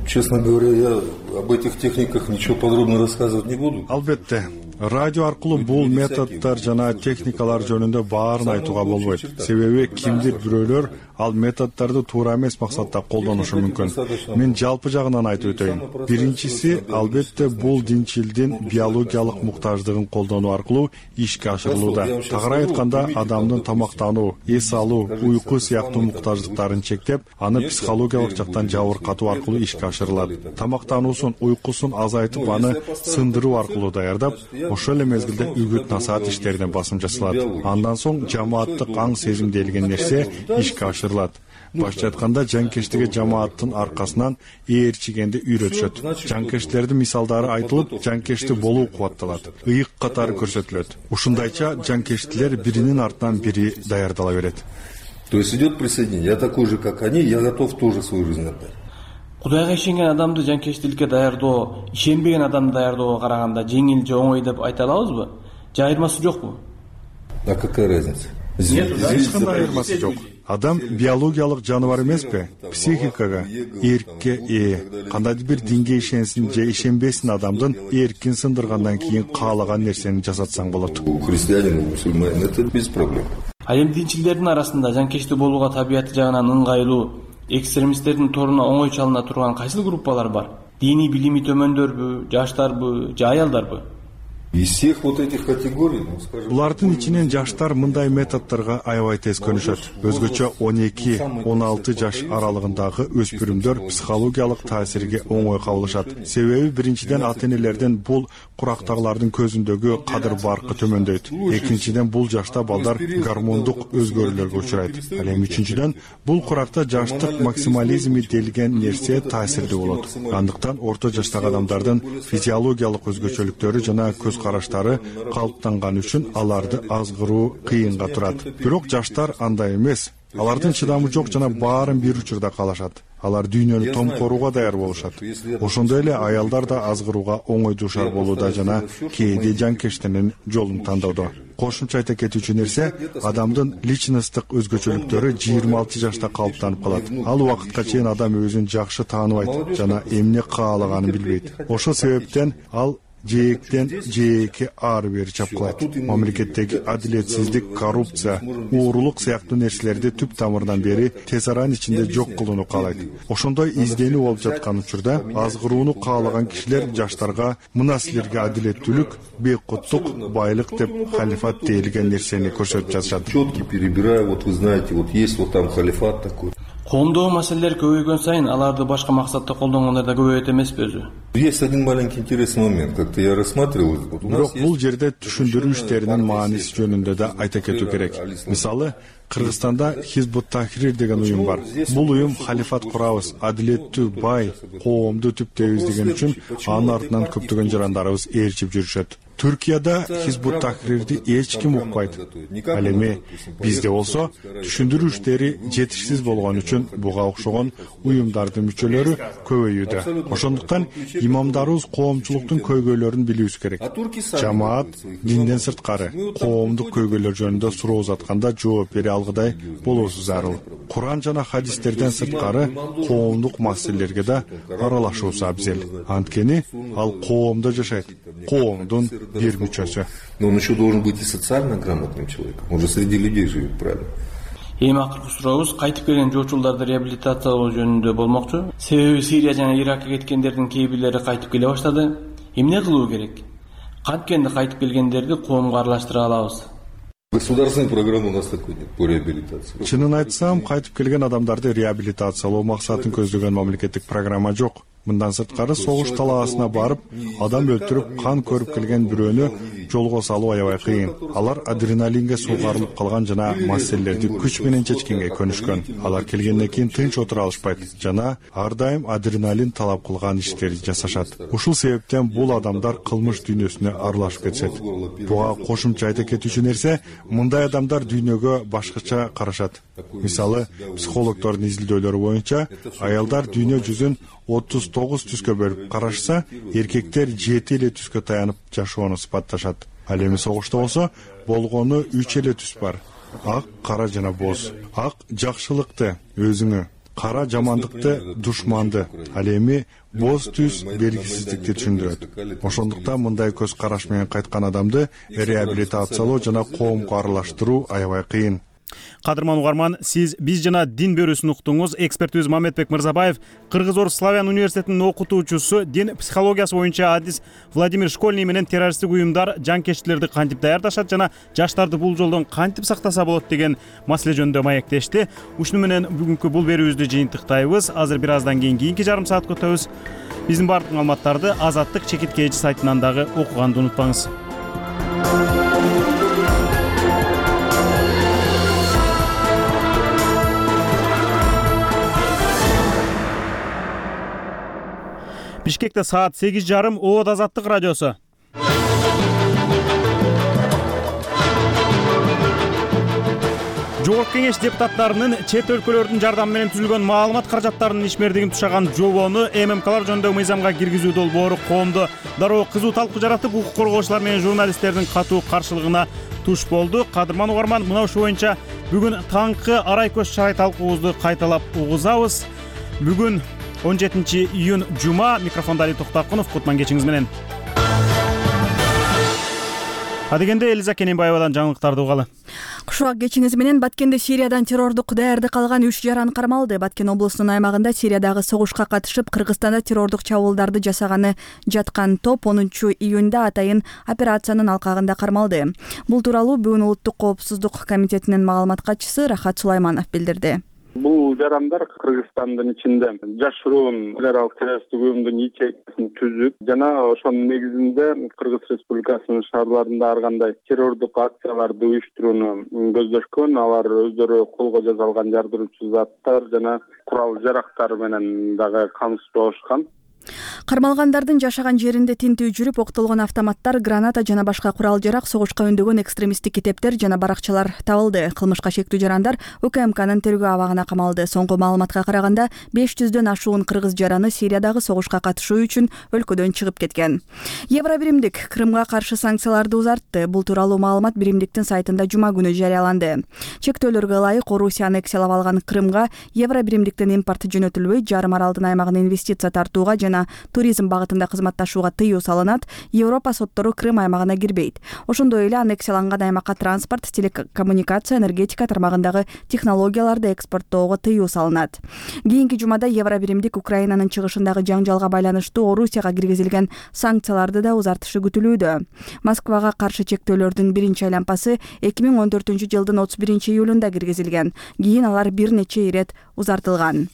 Честно говоря, я об этих техниках ничего подробно рассказывать не буду. Албетте, Радио аркылуу бул методдор жана техникалар жөнүндө баарын айтууга болбойт. Себеби кимдир бирөөлөр ал методдорду туура эмес максатта колдонушу мүмкүн. Мен жалпы жагынан айтып өтөйүн. Биринчиси, албетте бул динчилдин биологиялык муктаждыгын колдонуу аркылуу ишке ашырылууда. Тагыраак айтканда, адамдын тамактануу, эс алуу, уйку сыяктуу муктаждыктарын чектеп, аны психологиялык жактан жабыркатуу аркылуу ишке ашырылат. Тамактануусун, уйкусун азайтып, аны сындыруу аркылуу даярдап, ошол эле мезгилде үгүт-насаат иштерине басым жасалат. Андан соң жамааттык аң сезим делген нерсе ишке ашырылат. Башча айтканда, жанкештиге жамааттын аркасынан ээрчигенди үйрөтүшөт. Жанкешттердин мисалдары айтылып, жанкешти болуу кубатталат, ыйык катары көрсөтүлөт. Ушундайча жанкештилер биринин артынан бири даярдала берет. То есть идет присоединение. Я такой же, как они, я готов тоже свою жизнь отдать. Кудайга ишенген адамды жанкештиликке даярдоо, ишенбеген адамды даярдоого караганда жеңил же оңой деп айта алабызбы? Же айырмасы жокпу? А какая разница? Эч кандай айырмасы жок. Адам биологиялык жаныбар эмеспи? Психикага, эркке ээ. Кандайдыр бир динге ишенсин же ишенбесин адамдын эркин сындыргандан кийин каалаган нерсени жасатсаң болот. Христианин, мусульманин, это без проблем. Ал эми динчилдердин арасында жанкечти болууга табияты жагынан ыңгайлуу, экстремисттердин торуна оңой чалына турган кайсы группалар бар? Диний билими төмөндөрбү, жаштарбы же аялдарбы? Из всех вот этих категорий, скажем... Булардын ичинен жаштар мындай методдорго аябай тез көнүшөт. Өзгөчө 12-16 жаш аралыгындагы өспүрүмдөр психологиялык таасирге оңой кабылышат. Себеби биринчиден ата-энелердин бул курактагылардын көзүндөгү кадыр баркы төмөндөйт. Экинчиден бул жашта балдар гормондук өзгөрүүлөргө учурайт. Ал эми үчүнчүдөн бул куракта жаштык максимализми делген нерсе таасирдүү болот. Андыктан орто жаштагы адамдардын физиологиялык өзгөчөлүктөрү жана көз караштары калыптанган үчүн аларды азгыруу кыйынга турат. Бирок жаштар андай эмес. Алардын чыдамы жок жана баарын бир учурда каалашат. Алар дүйнөнү томкорууга даяр болушат. Ошондой эле аялдар да азгырууга оңой дуушар болууда жана кээде жанкештинин жолун тандоодо. Кошумча айта кетүүчү нерсе, адамдын личносттук өзгөчөлүктөрү 26 жашта калыптанып калат. Ал убакытка чейин адам өзүн жакшы тааныбайт жана эмне каалаганын билбейт. Ошол себептен ал жээктен жээкке ары бери чапкылайт. Мамлекеттеги адилетсиздик, коррупция, уурулук сыяктуу нерселерди түп тамырынан бери тез аранын ичинде жок кылууну каалайт. Ошондой изденүү болуп жаткан учурда азгырууну каалаган кишилер жаштарга мына силерге адилеттүүлүк, бейкуттук, байлык деп халифат дейилген нерсени көрсөтүп жатышат. Четкий перебираю, вот вы знаете, вот есть вот там халифат такой. Коомдогу маселелер көбөйгөн сайын аларды башка максатта колдонгондар да көбөйөт эмеспи өзү? Есть один маленький интересный момент, как-то я рассматривал. Бирок бул жерде түшүндүрүү иштеринин мааниси жөнүндө да айта кетүү керек. Мисалы, Кыргызстанда Хизбут Тахрир деген уюм бар. Бул уюм халифат курабыз, адилеттүү, бай, коомду түптөйбүз деген үчүн анын артынан көптөгөн жарандарыбыз ээрчип жүрүшөт. Түркияда Хизбут Тахрирди эч ким укпайт. Ал эми бизде болсо түшүндүрүү иштери жетишсиз болгон үчүн буга окшогон уюмдардын мүчөлөрү көбөйүүдө. Ошондуктан имамдарыбыз коомчулуктун көйгөйлөрүн билүүбүз керек. Жамаат динден сырткары коомдук көйгөйлөр жөнүндө суроо узатканда жооп бере алгыдай болуусу зарыл. Куран жана хадистерден сырткары коомдук маселелерге да аралашуусу абзел. Анткени ал коомдо жашайт, коомдун бир мүчөсү. Но он еще должен быть и социально грамотным человеком. Он же среди людей живет, правильно? Эми акыркы сурообуз кайтып келген жоочулдарды реабилитациялоо жөнүндө болмокчу. Себеби Сирия жана Иракка кеткендердин кээ бирлери кайтып келе баштады. Эмне кылуу керек? Канткенде кайтып келгендерди коомго аралаштыра алабыз? Государственной программы у нас такой нет по реабилитации. Чынын айтсам, кайтып келген адамдарды реабилитациялоо максатын көздөгөн мамлекеттик программа жок. Мындан сырткары согуш талаасына барып, адам өлтүрүп, кан көрүп келген бирөөнү жолго салуу аябай кыйын. Алар адреналинге суугарылып калган жана маселелерди күч менен чечкенге көнүшкөн. Алар келгенден кийин тынч отура алышпайт жана ар дайым адреналин талап кылган иштерди жасашат. Ушул себептен бул адамдар кылмыш дүйнөсүнө аралашып кетишет. Буга кошумча айта кетүүчү нерсе, мындай адамдар дүйнөгө башкача карашат. Мисалы, психологдордун изилдөөлөрү боюнча, аялдар дүйнө жүзүн 39 түскө бөлүп карашса, эркектер 7 эле түскө таянып жашоону сыпатташат. Ал эми согушта болсо, болгону 3 эле түс бар. Ак, кара жана боз. Ак жакшылыкты, өзүңө. кара жамандыкты, душманды, ал эми боз түз белгисиздикти түшүндүрөт. Ошондуктан мындай көз караш менен кайткан адамды реабилитациялоо жана коомго аралаштыруу аябай кыйын. Кадырман угарман, сиз биз жана дин берүүсүн уктуңуз. Экспертибиз Мамедбек Мырзабаев, Кыргыз-Орус славян университетинин окутуучусу, дин психологиясы боюнча адис Владимир Школьный менен террористтик уюмдар жанкечтилерди кантип даярдашат жана жаштарды бул жолдон кантип сактаса болот деген маселе жөнүндө маектешти. Ушуну менен бүгүнкү бул берүүбүздү жыйынтыктайбыз. Азыр бир аздан кийинки жарым саатка өтөбүз. Биздин бардык маалыматтарды Азаттык чекит KG сайтынан дагы окуганды унутпаңыз. Бишкекте саат 8:30. Оот Азаттык радиосу. Жогорку кеңеш депутаттарынын чет өлкөлөрдүн жардамы менен түзүлгөн маалымат каражаттарынын ишмердигин тушаган жобону ММКлар жөнүндөгү мыйзамга киргизүү долбоору коомдо дароо кызуу талкуу жаратып, укук коргоочулар менен журналисттердин катуу каршылыгына туш болду. Кадырман угарман, мына ушул боюнча бүгүн таңкы арай көз чарай талкуубузду кайталап угузабыз. Бүгүн 17 июнь жума. Микрофонда Али Токтакунов. Кутман кечиңиз менен. Адегенде Элиза Кененбаевадан жаңылыктарды угалы. Кушак кечиңиз менен. Баткенде Сириядан террордук даярдык калган 3 жаран кармалды. Баткен облусунун аймагында Сириядагы согушка катышып, Кыргызстанда террордук чабуулдарды жасаганы жаткан топ 10 июнда атайын операциянын алкагында кармалды. Бул тууралуу бүгүн Улуттук коопсуздук комитетинин маалымат катчысы Рахат Сулайманов билдирди. Бул жарандар Кыргызстандын ичинде жашыруун террорлук террористтик уюмдун ячейкасин түзүп жана ошонун негизинде Кыргыз Республикасынын шаарларында ар кандай террордук акцияларды уюштурууну көздөшкөн. Алар өздөрү колго жасалган жардыруучу заттар жана курал жарактар менен дагы камсыз болушкан. Кармалгандардын жашаган жеринде тинтүү жүрүп, октолгон автоматтар, граната жана башка курал жарак, согушка үндөгөн экстремисттик китептер жана баракчалар табылды. Кылмышка шектүү жарандар УКМКнын тергөө абагына камалды. Соңку маалыматка караганда 500дөн ашуун кыргыз жараны Сириядагы согушка катышуу үчүн өлкөдөн чыгып кеткен. Евробиримдик Крымга каршы санкцияларды узартты. Бул тууралуу маалымат биримдиктин сайтында жума күнү жарыяланды. Чектөөлөргө ылайык Орусия аннексиялап алган Крымга Евробиримдиктен импорт жөнөтүлбөй, жарым аралдын аймагына инвестиция тартууга жана туризм багытында кызматташууга тыюу салынат. Европа соттору Крым аймагына кирбейт. Ошондой эле аннексияланган аймакка транспорт, телекоммуникация, энергетика тармагындагы технологияларды экспорттоого тыюу салынат. Кийинки жумада Евробиримдик Украинанын чыгышындагы жаңжалга байланыштуу Орусияга киргизилген санкцияларды да узартышы күтүлүүдө. Москвага каршы чектөөлөрдүн биринчи айлампасы 2014-жылдын 31 июлунда киргизилген. Кийин алар бир нече ирет узартылган.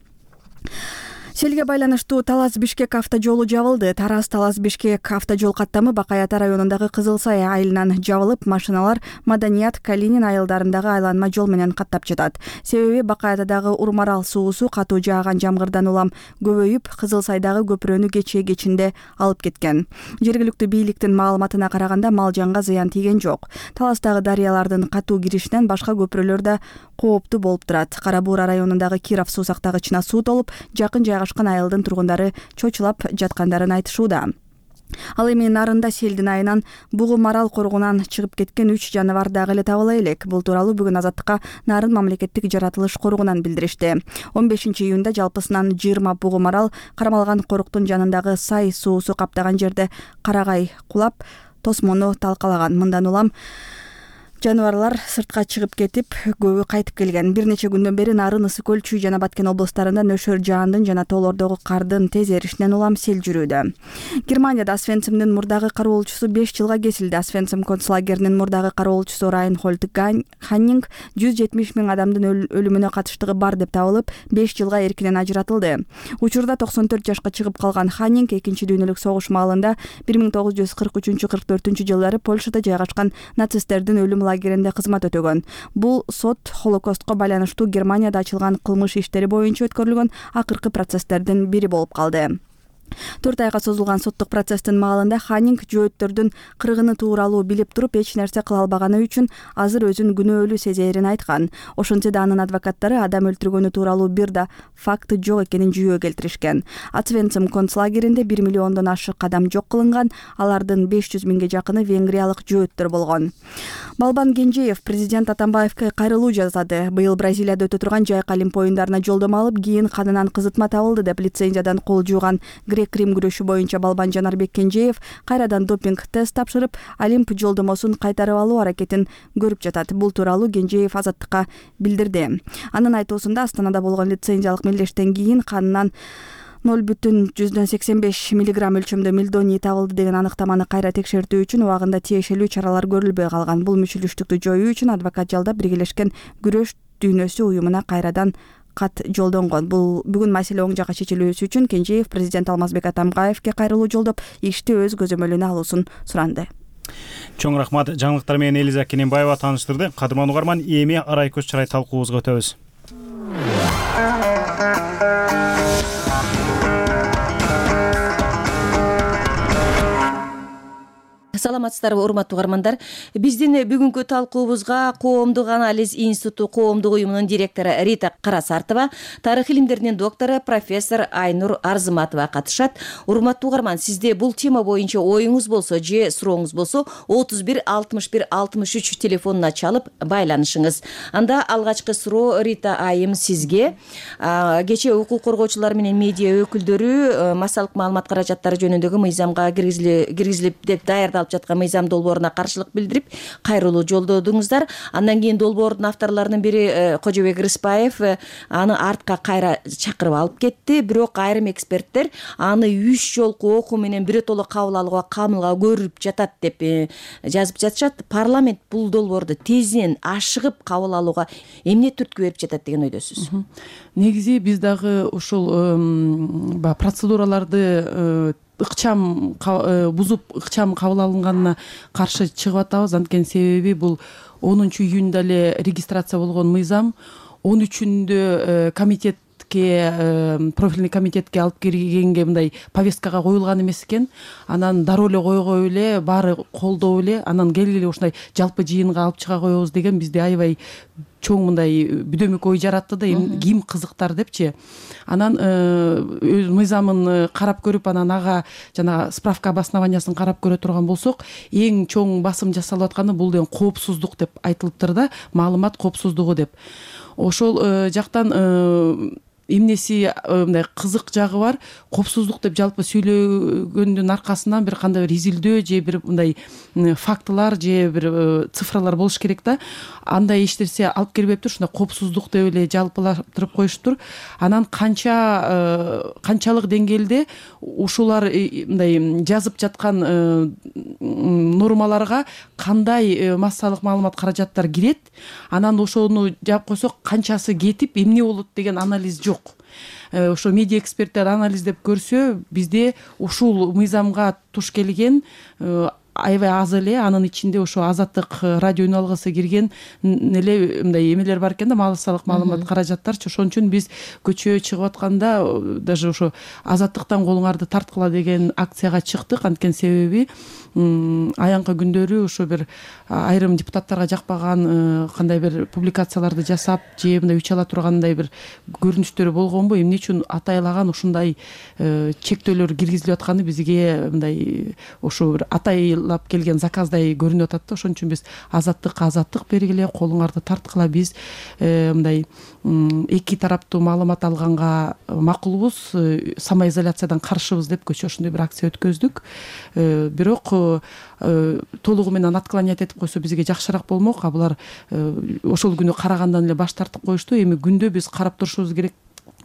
Селге байланыштуу Талас-Бишкек автожолу жабылды. Тараз-Талас-Бишкек автожол каттамы Бакай Ата районундагы Кызыл Сай айылынан жабылып, машиналар Маданият, Калинин айылдарындагы айланма жол менен каттап жатат. Себеби Бакай Атадагы Урмарал суусу катуу жааган жамгырдан улам көбөйүп, Кызыл Сайдагы көпүрөнү кечинде алып кеткен. Жергиликтүү бийликтин маалыматына караганда мал жанга зыян тийген жок. Таластагы дарыялардын катуу киришинен башка көпүрөлөр да кооптуу болуп турат. Кара Буура районундагы Киров суу сактагычына суу толуп, жакын жайгашкан айылдын тургундары чочулап жаткандарын айтышууда. Ал эми Нарында селдин айынан Бугу Марал коргунан чыгып кеткен 3 жаныбар дагы эле табыла элек. Бул тууралуу бүгүн Азаттыкка Нарын мамлекеттик жаратылыш коргунан билдиришти. 15 июнда жалпысынан 20 Бугу Марал кармалган коруктун жанындагы Сай суусу каптаган жерде карагай кулап, тосмону талкалаган. Мындан улам жаныбарлар сыртка чыгып кетип, көбү кайтып келген. Бир нече күндөн бери Нарын, Ысык Көл, Чүй жана Баткен облустарында нөшөр жаандын жана тоолордогу кардын тез эришинен улам сел жүрүүдө. Германияда Освенцимдин мурдагы кароолчусу 5 жылга кесилди. Освенцим концлагеринин мурдагы кароолчусу Райнхольд Ханнинг 170 000 адамдын өлүмүнө катыштыгы бар деп табылып, 5 жылга эркинен ажыратылды. Учурда 94 жашка чыгып калган Ханнинг Экинчи дүйнөлүк согуш маалында 1943-44 жылдары Польшада жайгашкан нацисттердин өлүм лагеринде кызмат өтөгөн. Бул сот Холокостко байланыштуу Германияда ачылган кылмыш иштери боюнча өткөрүлгөн акыркы процесстердин бири болуп калды. 4 айга созулган соттук процесстин маалында Ханинг жөөттөрдүн кыргыны тууралуу билип туруп эч нерсе кыла албаганы үчүн азыр өзүн күнөөлүү сезээрин айткан. Ошентсе да анын адвокаттары адам өлтүргөнү тууралуу бир да факты жок экенин жүйө келтиришкен. Ацвенцим концлагеринде 1 миллиондон ашык адам жок кылынган, алардын 500 миңге жакыны венгриялык жөөттөр болгон. Балбан Кенжеев президент Атамбаевке кайрылуу жасады. Быйыл Бразилияда өтө турган Жайык Олимп оюндарына жолдомо алып, кийин канынан кызытма табылды деп лицензиядан кол жууган грек-рим күрөшү боюнча Балбан Жанарбек Кенжеев кайрадан допинг тест тапшырып, Олимп жолдомосун кайтарып алуу аракетин көрүп жатат. Бул тууралуу Кенжеев Азаттыкка билдирди. Анын айтуусунда Астанада болгон лицензиялык мелдештен кийин канынан 0,85 миллиграмм өлчөмдө мелдоний табылды деген аныктаманы кайра текшертүү үчүн убагында тиешелүү чаралар көрүлбөй калган. Бул мүчүлүштүктү жоюу үчүн адвокат жалдап Биргелешкен күрөш дүйнөсү уюмуна кайрадан кат жолдонгон. Бул бүгүн маселе оң жакка чечилүүсү үчүн Кенжеев президент Алмазбек Атамбаевке кайрылуу жолдоп, ишти өз көзөмөлүнө алуусун суранды. Чоң рахмат. Жаңылыктар менен Элиза Кененбаева тааныштырды. Кадырман угарман, эми арай көз чырай талкуубузга өтөбүз. Саламатсыздарбы, урматтуу угармандар. Биздин бүгүнкү талкуубузга Коомдук анализ институту коомдук уюмунун директору Рита Карасартова, тарых илимдеринин доктору профессор Айнур Арзыматова катышат. Урматтуу угарман, сизде бул тема боюнча оюңуз болсо же сурооңуз болсо 31 61 63 телефонуна чалып байланышыңыз. Анда алгачкы суроо Рита айым сизге. Кечээ укук коргоочулар менен медиа өкүлдөрү массалык маалымат каражаттары жөнүндөгү мыйзамга киргизилип деп даярдалып жаткан мыйзам долбооруна каршылык билдирип кайрылуу жолдодуңуздар. Андан кийин долбоордун авторлорунун бири Кожобек Рыспаев аны артка кайра чакырып алып кетти. Бирок айрым эксперттер аны 3 жолку окуу менен биротоло кабыл алууга камылга көрүп жатат деп жазып жатышат. Парламент бул долбоорду тезинен ашыгып кабыл алууга эмне түрткү берип жатат деген ойдосуз? Негизи биз дагы ушул процедураларды ыкчам бузуп ыкчам кабыл алынганына каршы чыгып атабыз. Анткени себеби бул 10-июнда эле регистрация болгон мыйзам 13-үндө профильный комитетке алып киргенге мындай повесткага коюлган эмес экен. Анан дароо эле койгой эле баары колдоп эле анан келгиле ушундай жалпы жыйынга алып чыга коебуз деген бизде аябай чоң мындай бүдөмүк ой жаратты да, ким кызыктар депчи. Анан мыйзамын карап көрүп, анан ага жана справка обоснованиясын карап көрө турган болсок, эң чоң басым жасалып атканы бул деген коопсуздук деп айтылыптыр да, маалымат коопсуздугу деп. Ошол жактан эмнеси мындай кызык жагы бар. Коопсуздук деп жалпы сүйлөгөндүн аркасынан бир кандай бир изилдөө же бир мындай фактылар же бир цифралар болуш керек да. Андай эч нерсе алып келбептир. Ушундай коопсуздук деп эле жалпылаштырып коюштур. Анан канчалык деңгээлде ушулар мындай жазып жаткан нормаларга кандай массалык маалымат каражаттар кирет, анан ошону жаап койсок канчасы кетип эмне болот деген анализ жок. Ошо медиа эксперттер анализдеп көрсө, бизде ушул мыйзамга туш келген аябай аз эле, анын ичинде ошо Азаттык радио үн алгысы кирген эле мындай эмелер бар экен да, массалык маалымат каражаттарчы. Ошон үчүн биз көчөгө чыгып атканда даже ошо Азаттыктан колуңарды тарткыла деген акцияга чыктык. Анткени себеби аянкы күндөрү ошо бир айрым депутаттарга жакпаган кандай бир публикацияларды жасап же мындай үч ала тургандай бир көрүнүштөр болгонбу, эмне үчүн атайлаган ушундай чектөөлөр киргизилип атканы бизге мындай ошо бир атайлап келген заказдай көрүнүп атат да. Ошон үчүн биз азаттык бергиле, колуңарды тарткыла, биз мындай эки тараптуу маалымат алганга макулбуз, самоизоляциядан каршыбыз деп көчө ошондой бир акция өткөздүк. Бирок толугу менен отклонять этип койсо бизге жакшыраак болмок. А булар ошол күнү карагандан эле баш тартып коюшту. Эми күндө биз карап турушубуз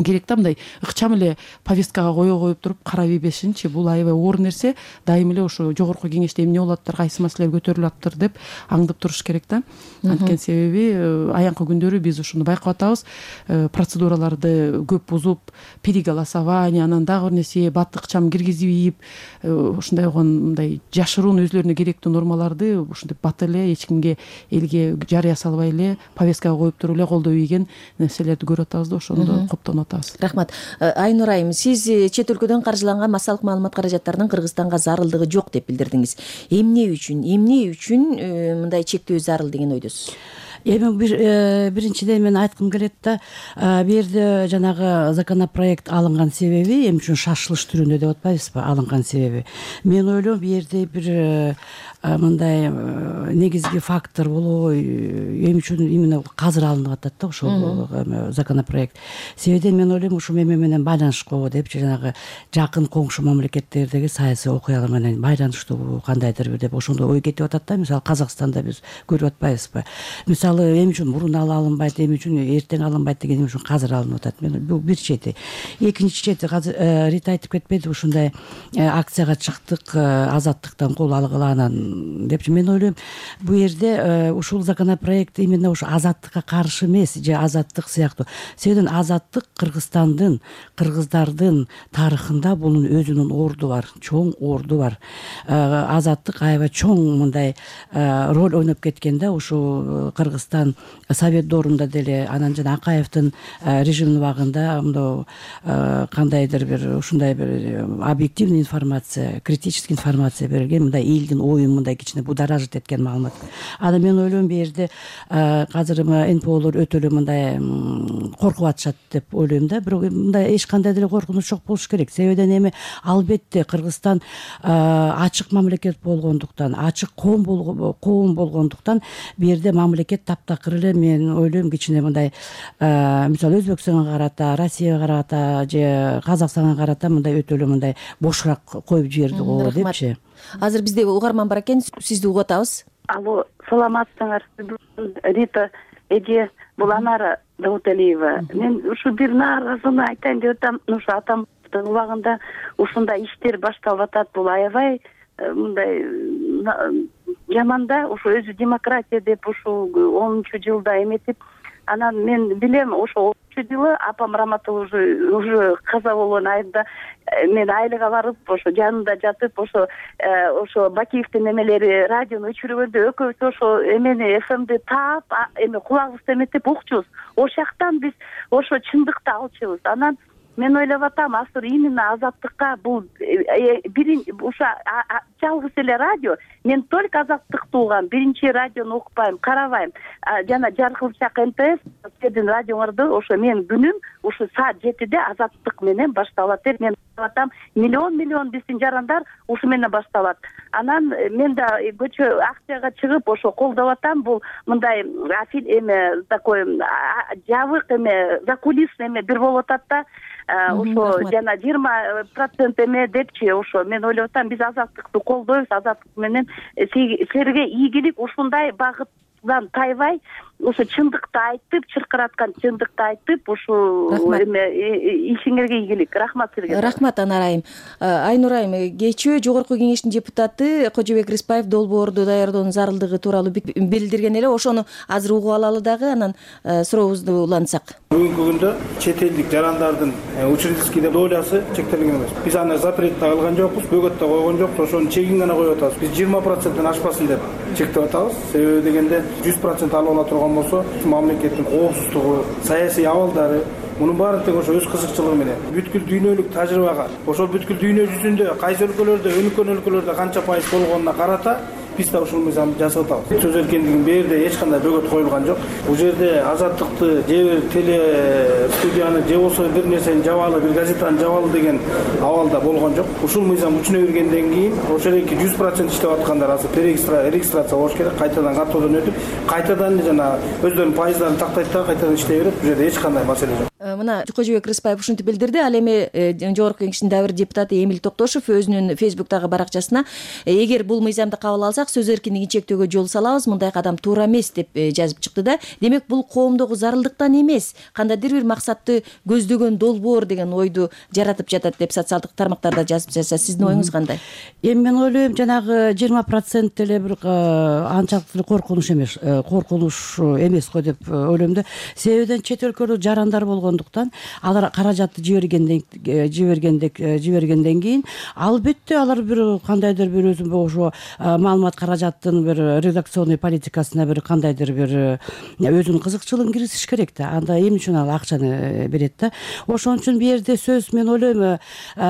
керек да, мындай ыкчам эле повесткага коюп туруп карап ийбешинчи. Бул аябай оор нерсе. Дайым эле ошо жогорку кеңеште эмне болуп атыптыр, кайсы маселелер көтөрүлүп атыптыр деп аңдып туруш керек да. Анткени себеби аянкы күндөрү биз ушуну байкап атабыз. Процедураларды көп бузуп, переголосование, анан дагы бир нерсе бат ыкчам киргизип ийип, ушундай мындай жашыруун өзлөрүнө керектүү нормаларды ушинтип бат эле эч кимге, элге жарыя салбай эле повесткага коюп туруп эле колдоп ийген нерселерди көрүп атабыз да. Ошондо коптонуп кылып атабыз. Рахмат. Айнур айым, сиз чет өлкөдөн каржыланган массалык маалымат каражаттарынын Кыргызстанга зарылдыгы жок деп билдирдиңиз. Эмне үчүн мындай чектөө зарыл деген ойдосуз? Эми биринчиден мен айткым келет да, бул жерде жанагы законопроект алынган себеби эмне үчүн шашылыш түрүндө деп атпайбызбы? Алынган себеби. Мен ойлойм бул жерде бир мындай негизги фактор болобу, эмне үчүн именно азыр алынып атат да ошол законопроект. Себебиден мен ойлойм ушу эме менен байланышкабы депчи, жанагы жакын коңшу мамлекеттердеги саясий окуялар менен байланыштуу кандайдыр бир деп ошондой ой кетип атат да. Мисалы Казакстанда биз көрүп атпайбызбы? Мисалы эмне үчүн мурун алынбайт, эмне үчүн эртең алынбайт деген эмне үчүн азыр алынып атат. Мен бул бир чети. Экинчи чети, Рита айтып кетпеди, ушундай акцияга чыктык, азаттыктан кол алгыла анан депчи. Мен ойлойм бул жерде ушул законопроект именно ушу азаттыкка каршы эмес, же азаттык сыяктуу. Себебиден азаттык Кыргызстандын, кыргыздардын тарыхында бунун өзүнүн орду бар, чоң орду бар. Азаттык аябай чоң мындай роль ойноп кеткен да ушу Кыргызстан Совет доорунда деле, анан жана Акаевдин режимдин убагында мындай кандайдыр бир ушундай бир объективный информация, критический информация берилген, мындай элдин оюн мындай кичине будоражит эткен маалымат. Анан мен ойлойм бул жерде азыр НПОлор өтө эле мындай коркуп атышат деп ойлойм да. Бирок мындай эч кандай деле коркунуч жок болуш керек. Себебиден эми албетте Кыргызстан ачык мамлекет болгондуктан, ачык коом болгондуктан бул жерде мамлекет таптакыр эле, мен ойлойм кичине мындай мисалы Өзбекстанга карата, Россияга карата же Казакстанга карата мындай өтө эле мындай бошураак коюп жиберди го депчи. Азыр бизде угарман бар экен, сизди угуп атабыз. Алло, саламатсыңар. Рита эже, бул Анара Дауталиева. Мен ушу бир нааразыны айтайын деп атам. Ушу атамдын убагында ушундай иштер башталып атат. Бул аябай мындай жаман да, ушу өзү демократия деп ушу 10-жылда эметип, анан мен билем ошо 10-жылы апам Раматул уже каза болгон айында мен айлыга барып, ошо жанында жатып, ошо Бакиевдин эмелери радиону өчүргөндө экөөбүз ошо эмени ФМди таап, эме кулагыбызды эметип укчубуз. Ошяктан биз ошо чындыкты алчубуз. Анан мен ойлоп атам, азыр именно азаттыкка бул ушу жалгыз эле радио. Мен только азаттыкты угам, биринчи радиону укпайм, карабайм. Жана Жаркылчак НТС сиздин радиоңорду ошо мен күнүм ушу саат 7-де азаттык менен башталат деп мен атам. Миллион биздин жарандар ушу менен башталат. Анан мен да көчө акцияга чыгып ошо колдоп атам. Бул мындай эме такой жабык эме, закулисный эме бир болуп атат да. Ошо жана 20% эме депчи, ошо мен ойлоп атам, биз азаттыкты колдойбуз, азаттык менен силерге ийгилик ушундай багыттан тайбай, ошо чындыкты айтып, чыркыраткан чындыкты айтып, ушу эме ишиңерге ийгилик. Рахмат силерге. Рахмат Анар айым. Айнур айым, кечээ Жогорку Кеңештин депутаты Кожобек Рыспаев долбоорду даярдоонун зарылдыгы тууралуу билдирген эле, ошону азыр угуп алалы дагы, анан сурообузду улантсак. Бүгүнкү күндө чет элдик жарандардын учредительский долясы чектелген эмес. Биз аны запрет алган жокпуз, бөгөт да койгон жокпуз, ошонун чегин гана коюп атабыз. Биз 20%-тен ашпасын деп чектеп атабыз. Себеби дегенде 100% алып ала турган болсо, мамлекеттин коопсуздугу, саясий абалдары, мунун баары тең ошо өз кызыкчылыгы менен бүткүл дүйнөлүк тажрыйбага, ошол бүткүл дүйнө жүзүндө кайсы өлкөлөрдө, өнүккөн өлкөлөрдө канча пайыз болгонуна карата биз да ушул мыйзамды жасап атабыз. Сөз эркиндигин бул жерде эч кандай бөгөт коюлган жок. Бул жерде азаттыкты же бир теле студияны же болбосо бир нерсени жабалы, бир газетаны жабалы деген абалда болгон жок. Ушул мыйзам күчүнө киргенден кийин ошол эки 100% иштеп аткандар азыр регистрация болуш керек, кайтадан каттоодон өтүп, кайтадан жана өздөрүнүн пайыздарын тактайт да кайтадан иштей берет. Бул жерде эч кандай маселе жок. Мына Кожобек Рыспаев ушинтип билдирди. Ал эми Жогорку Кеңештин дагы бир депутаты Эмил Токтошов өзүнүн Facebook'тагы баракчасына эгер бул мыйзамды кабыл алсак, сөз эркиндигин чектөөгө жол салабыз, мындай кадам туура эмес деп жазып чыкты да. Демек бул коомдогу зарылдыктан эмес, кандайдыр бир максатты көздөгөн долбоор деген ойду жаратып жатат деп социалдык тармактарда жазып жатса, сиздин оюңуз кандай? Эми мен ойлойм, жанагы 20% эле бир анчалык коркунуч эмес го деп ойлойм да. Себебиден чет өлкөлүк жарандар болгон болгондуктан алар каражатты жибергенден кийин албетте алар бир кандайдыр бир өзү ошо маалымат каражаттын бир редакционный политикасына бир кандайдыр бир өзүнүн кызыкчылыгын киргизиш керек да. Анда эмне үчүн ал акчаны берет да. Ошон үчүн бул жерде сөз мен ойлойм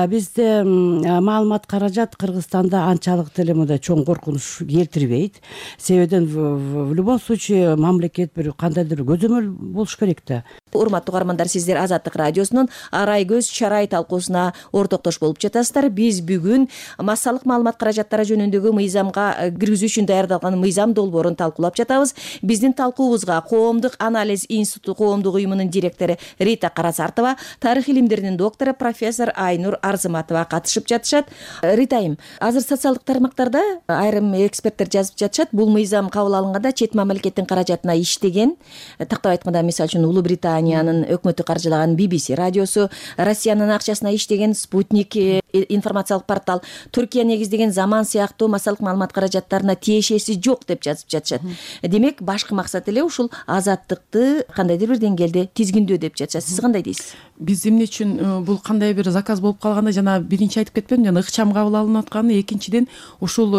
бизде маалымат каражат Кыргызстанда анчалык деле мындай чоң коркунуч келтирбейт. Себебен в любом случае мамлекет бир кандайдыр көзөмөл болуш керек да. Урматтуу угармандар, сиздер Азаттык радиосунун Арай көз чарай талкуусуна ортоктош болуп жатасыздар. Биз бүгүн массалык маалымат каражаттары жөнүндөгү мыйзамга киргизүү үчүн даярдалган мыйзам долбоорун талкуулап жатабыз. Биздин талкуубузга Коомдук анализ институту коомдук уюмунун директору Рита Карасартова, тарых илимдеринин доктору профессор Айнур Арзыматова катышып жатышат. Ритайым, азыр социалдык тармактарда айрым эксперттер жазып жатышат, бул мыйзам кабыл алынганда чет мамлекеттин каражатына иштеген, тактап айтканда мисалы үчүн Улуу Британиянын өкмөтү каржылаган BBC радиосу, Россиянын акчасына иштеген Спутник информациялык портал, Түркия негиздеген Заман сыяктуу массалык маалымат каражаттарына тиешеси жок деп жазып жатышат. Демек башкы максат эле ушул азаттыкты кандайдыр бир деңгээлде тизгиндөө деп жатышат. Сиз кандай дейсиз? Биз эмне үчүн бул кандай бир заказ болуп калганда жана биринчи айтып кетпедимби, жана ыкчам кабыл алынып атканы, экинчиден ушул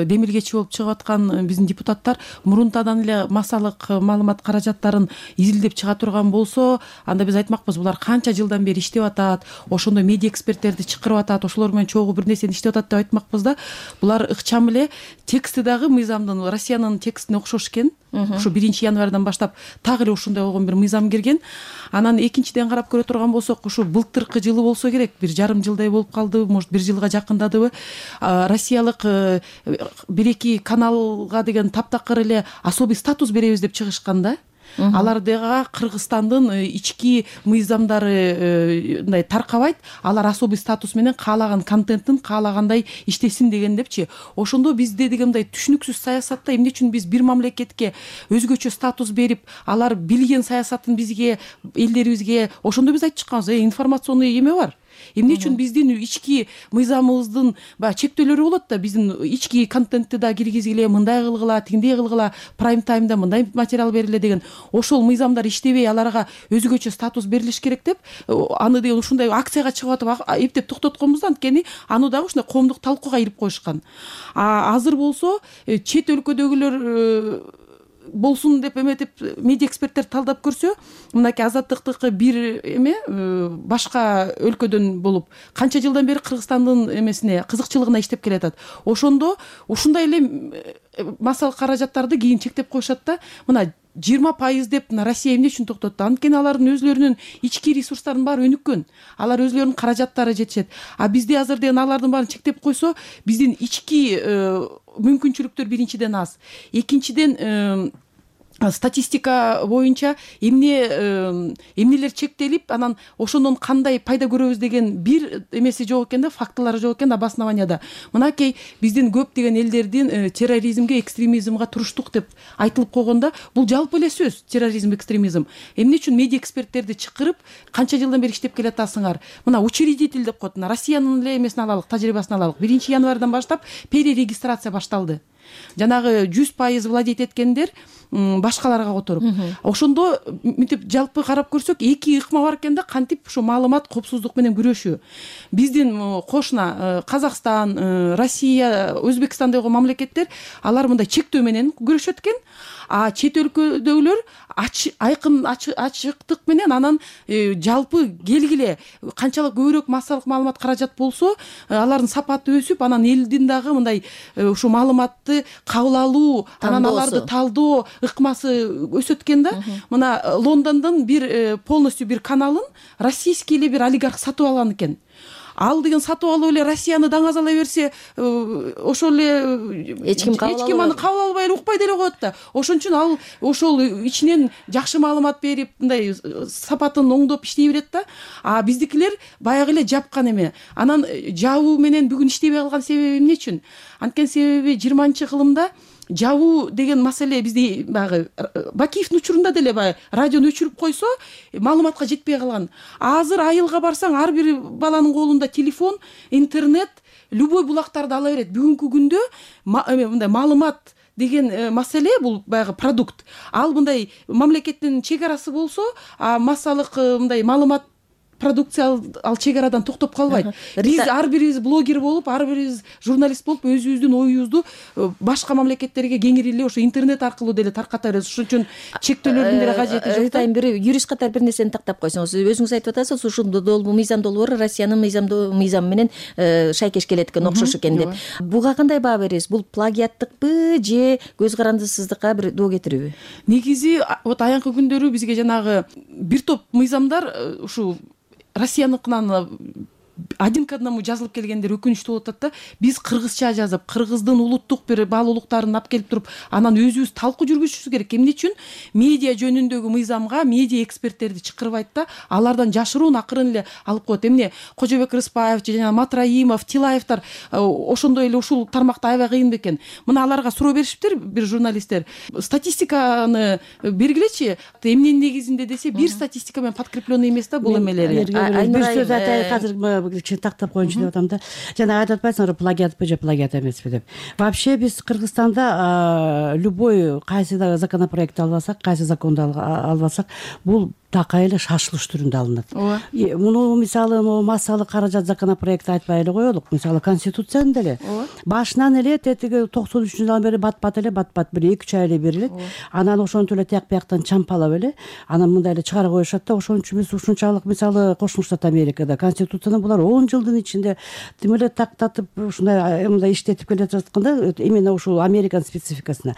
демилгечи болуп чыгып аткан биздин депутаттар мурунтадан эле массалык маалымат каражаттарын изилдеп чыга турган болсо, анда биз айтмакпыз, булар канча жылдан бери иштеп атат, ошондой медиа эксперттерди чакырып атат, ошолор менен чогуу бир нерсени иштеп атат деп айтмакпыз да. Булар ыкчам эле тексти дагы мыйзамдын Россиянын текстине окшош экен. Ушу 1-январдан баштап так эле ушундай болгон бир мыйзам кирген. Анан экинчиден карап көрө турган болсок, ушу былтыркы жылы болсо керек, 1,5 жылдай болуп калдыбы, может 1 жылга жакындадыбы, россиялык 1-2 каналга деген таптакыр эле особый статус беребиз деп чыгышкан да. Алардыга Кыргызстандын ички мыйзамдары мындай таркабайт, алар особый статус менен каалаган контенттин каалагандай иштесин деген депчи. Ошондо бизде дегендей түшүнүксүз саясатта эмне үчүн биз бир мамлекетке өзгөчө статус берип, алар билген саясатын бизге, элдерибизге, ошондо биз айтып чыкканбыз, информационный эме бар. Эмне үчүн биздин ички мыйзамыбыздын чектөөлөрү болот да, биздин ички контентти да киргизгиле, мындай кылгыла, тиңдей кылгыла, прайм таймда мындай материал бериле деген. Ошол мыйзамдар иштебей, аларга өзгөчө статус берилиш керек деп, аны деген ушундай акцияга чыгып атып эптеп токтотконбуз да, анткени аны дагы ушундай коомдук талкууга ирип коюшкан. Азыр болсо чет өлкөдөгүлөр болсун деп эметип медиа эксперттер талдап көрсө, мынакей азаттыктыкы бир эме башка өлкөдөн болуп канча жылдан бери Кыргызстандын эмесине, кызыкчылыгына иштеп келатат. Ошондо ушундай эле массалык каражаттарды кийин чектеп коюшат да. Мына 20% деп Россия эмне үчүн токтотту? Анткени алардын өзлөрүнүн ички ресурстарынын баары өнүккөн. Алар өзлөрүнүн каражаттары жетишет. Бизде азыр деген алардын баарын чектеп койсо, биздин ички мүмкүнчүлүктөр биринчиден аз. Экинчиден статистика боюнча эмнелер чектелип, анан ошондон кандай пайда көрөбүз деген бир эмеси жок экен да, фактылары жок экен обоснованияда. Мынакей биздин көп деген элдердин терроризмге, экстремизмге туруштук деп айтылып койгондо, бул жалпы эле сөз, терроризм, экстремизм. Эмне үчүн медиа эксперттерди чакырып, канча жылдан бери иштеп келатасыңар? Мына учредитель деп коет. Россиянын эле эмесин алалык, тажрыйбасын алалык. 1-январдан баштап перерегистрация башталды. Жанагы 100% владеть эткендер башкаларга которуп. Ошондо мынтип жалпы карап көрсөк, эки ыкма бар экен да, кантип ушу маалымат коопсуздук менен күрөшүү. Биздин кошуна Казакстан, Россия, Өзбекстан деген мамлекеттер, алар мындай чектөө менен күрөшөт экен. Чет өлкөдөгүлөр айкын ачыктык менен анан жалпы келгиле канчалык көбүрөөк массалык маалымат каражат болсо, алардын сапаты өсүп, анан элдин дагы мындай ушу маалыматты кабыл алуу, анан аларды талдоо ыкмасы өсөт экен да. Мына Лондондон бир полностью бир каналын российский эле бир олигарх сатып алган экен. Ал деген сатып алып эле Россияны даңазалай берсе, ошол эле эч ким аны кабыл албай эле укпай деле коет да. Ошон үчүн ал ошол ичинен жакшы маалымат берип, мындай сапатын оңдоп иштей берет да. Биздикилер баягы эле жапкан эме. Анан жабуу менен бүгүн иштебей калган себеби эмне үчүн? Анткени себеби 20-кылымда жабуу деген маселе бизде баягы Бакиевдин учурунда деле баягы радиону өчүрүп койсо, маалыматка жетпей калган. Азыр айылга барсаң, ар бир баланын колунда телефон, интернет, любой булактарды ала берет. Бүгүнкү күндө мындай маалымат деген маселе, бул баягы продукт. Ал мындай мамлекеттин чек арасы болсо, массалык мындай маалымат продукция ал чек арадан токтоп калбайт. Биз ар бирибиз блогер болуп, ар бирибиз журналист болуп, өзүбүздүн оюбузду башка мамлекеттерге кеңири эле ошо интернет аркылуу деле тарката беребиз. Ошон үчүн чектөөлөрдүн деле кажети жок. Айтайын, бир юрист катары бир нерсени тактап койсоңуз, өзүңүз айтып атасыз, ушул мыйзам долбоору Россиянын мыйзамы менен шайкеш келет экен, окшош экен деп. Буга кандай баа бересиз? Бул плагиаттыкпы же көз карандысыздыкка бир доо кетирүүбү? Негизи вот аянкы күндөрү бизге жанагы бир топ мыйзамдар ушул Россияныкынан один к одному жазылып келгендер өкүнүчтүү болуп атат да. Биз кыргызча жазып, кыргыздын улуттук бир баалуулуктарын алып келип туруп, анан өзүбүз талкуу жүргүзүшүбүз керек. Эмне үчүн? Медиа жөнүндөгү мыйзамга медиа эксперттерди чакырбайт да, алардан жашыруун акырын эле алып коет. Эмне Кожобек Рыспаев, жана Матраимов, Тилаевтар ошондой эле ушул тармакта аябай кыйын бекен. Мына аларга суроо беришиптир бир журналисттер. Статистиканы бергилечи, эмненин негизинде десе, бир статистика менен подкрепленный эмес да бул эмелери. Бир сөз айтайын, азыр кичине тактап коеюнчу деп атам да. Жана айтып атпайсыңарбы, плагиатпы же плагиат эмеспи деп. Вообще биз Кыргызстанда любой кайсы да законопроект албасак, кайсы законду албасак, бул такай эле шашылыш түрүндө алынат. Муну мисалы массалык каражат законопроекти айтпай эле коелук. Мисалы Конституцияны деле башынан эле тетиги 93-жылдан бери бат-бат эле бир 2-3 ай эле берилет. Анан ошентип эле тияк бияктан чампалап эле анан мындай эле чыгарып коюшат да. Ошон үчүн биз ушунчалык мисалы Кошмо Штат Америкада Конституцияны булар 10 жылдын ичинде тим эле тактатып ушундай мындай иштетип келе жатканда именно ушул Американын спецификасына.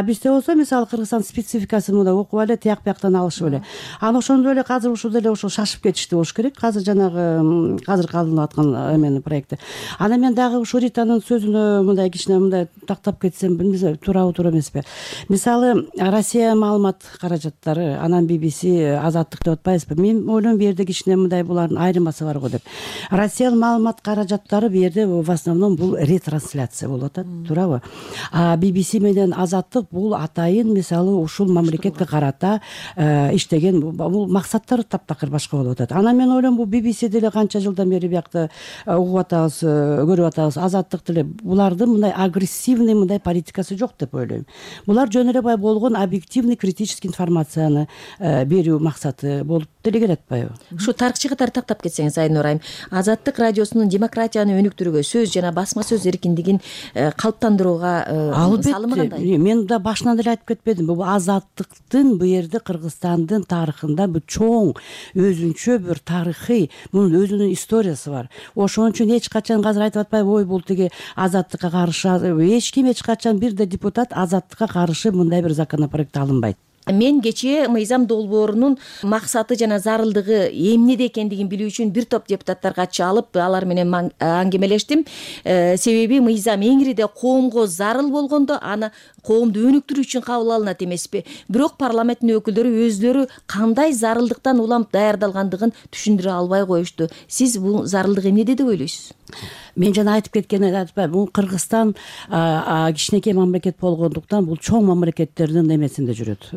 Бизде болсо мисалы Кыргызстан спецификасын мындай окуп эле тияк бияктан алышып эле. Ошондой эле азыр ушул деле ошол шашып кетишти болуш керек. Азыр жанагы азыр калынып аткан эменин проекти. Анан мен дагы ушул Ританын сөзүнө мындай кичине мындай тактап кетсем, билбейм туурабы туура эмеспи. Мисалы Россия маалымат каражаттары, анан BBC, Азаттык деп атпайбызбы? Мен ойлойм бу жерде кичине мындай булардын айырмасы бар го деп. Россия маалымат каражаттары бу жерде в основном бул ретрансляция болуп атат, туурабы? BBC менен Азаттык бул атайын мисалы ушул мамлекетке карата иштеген бул максаттары таптакыр башка болуп атат. Анан мен ойлойм бул BBC деле канча жылдан бери биякта угуп атабыз, көрүп атабыз. Азаттык деле булардын мындай агрессивный мындай политикасы жок деп ойлойм. Булар жөн эле болгон объективный критический информацияны берүү максаты болуп деле келет атпайбы? Ушу тарыхчы катары тактап кетсеңиз, Айнур айым, Азаттык радиосунун демократияны өнүктүрүүгө, сөз жана басма сөз эркиндигин калыптандырууга салымы кандай? Мен да башынан эле айтып кетпедимби? Бул Азаттыктын бу жерде Кыргызстандын тарыхында бул чоң өзүнчө бир тарыхый, мунун өзүнүн историясы бар. Ошон үчүн эч качан азыр айтып атпайбы, ой бул тиги Азаттыкка каршы, эч ким эч качан бир да депутат Азаттыкка каршы мындай бир законопроект алынбайт. Мен кечээ мыйзам долбоорунун максаты жана зарылдыгы эмнеде экендигин билүү үчүн бир топ депутаттарга чалып, алар менен аңгемелештим. Себеби мыйзам эңириде коомго зарыл болгондо аны коомду өнүктүрүү үчүн кабыл алынат эмеспи. Бирок парламенттин өкүлдөрү өзлөрү кандай зарылдыктан улам даярдалгандыгын түшүндүрө албай коюшту. Сиз бул зарылдык эмнеде деп ойлойсуз? Мен жана айтып кеткен атпайбы, бул Кыргызстан кичинекей мамлекет болгондуктан бул чоң мамлекеттердин эмесинде жүрөт,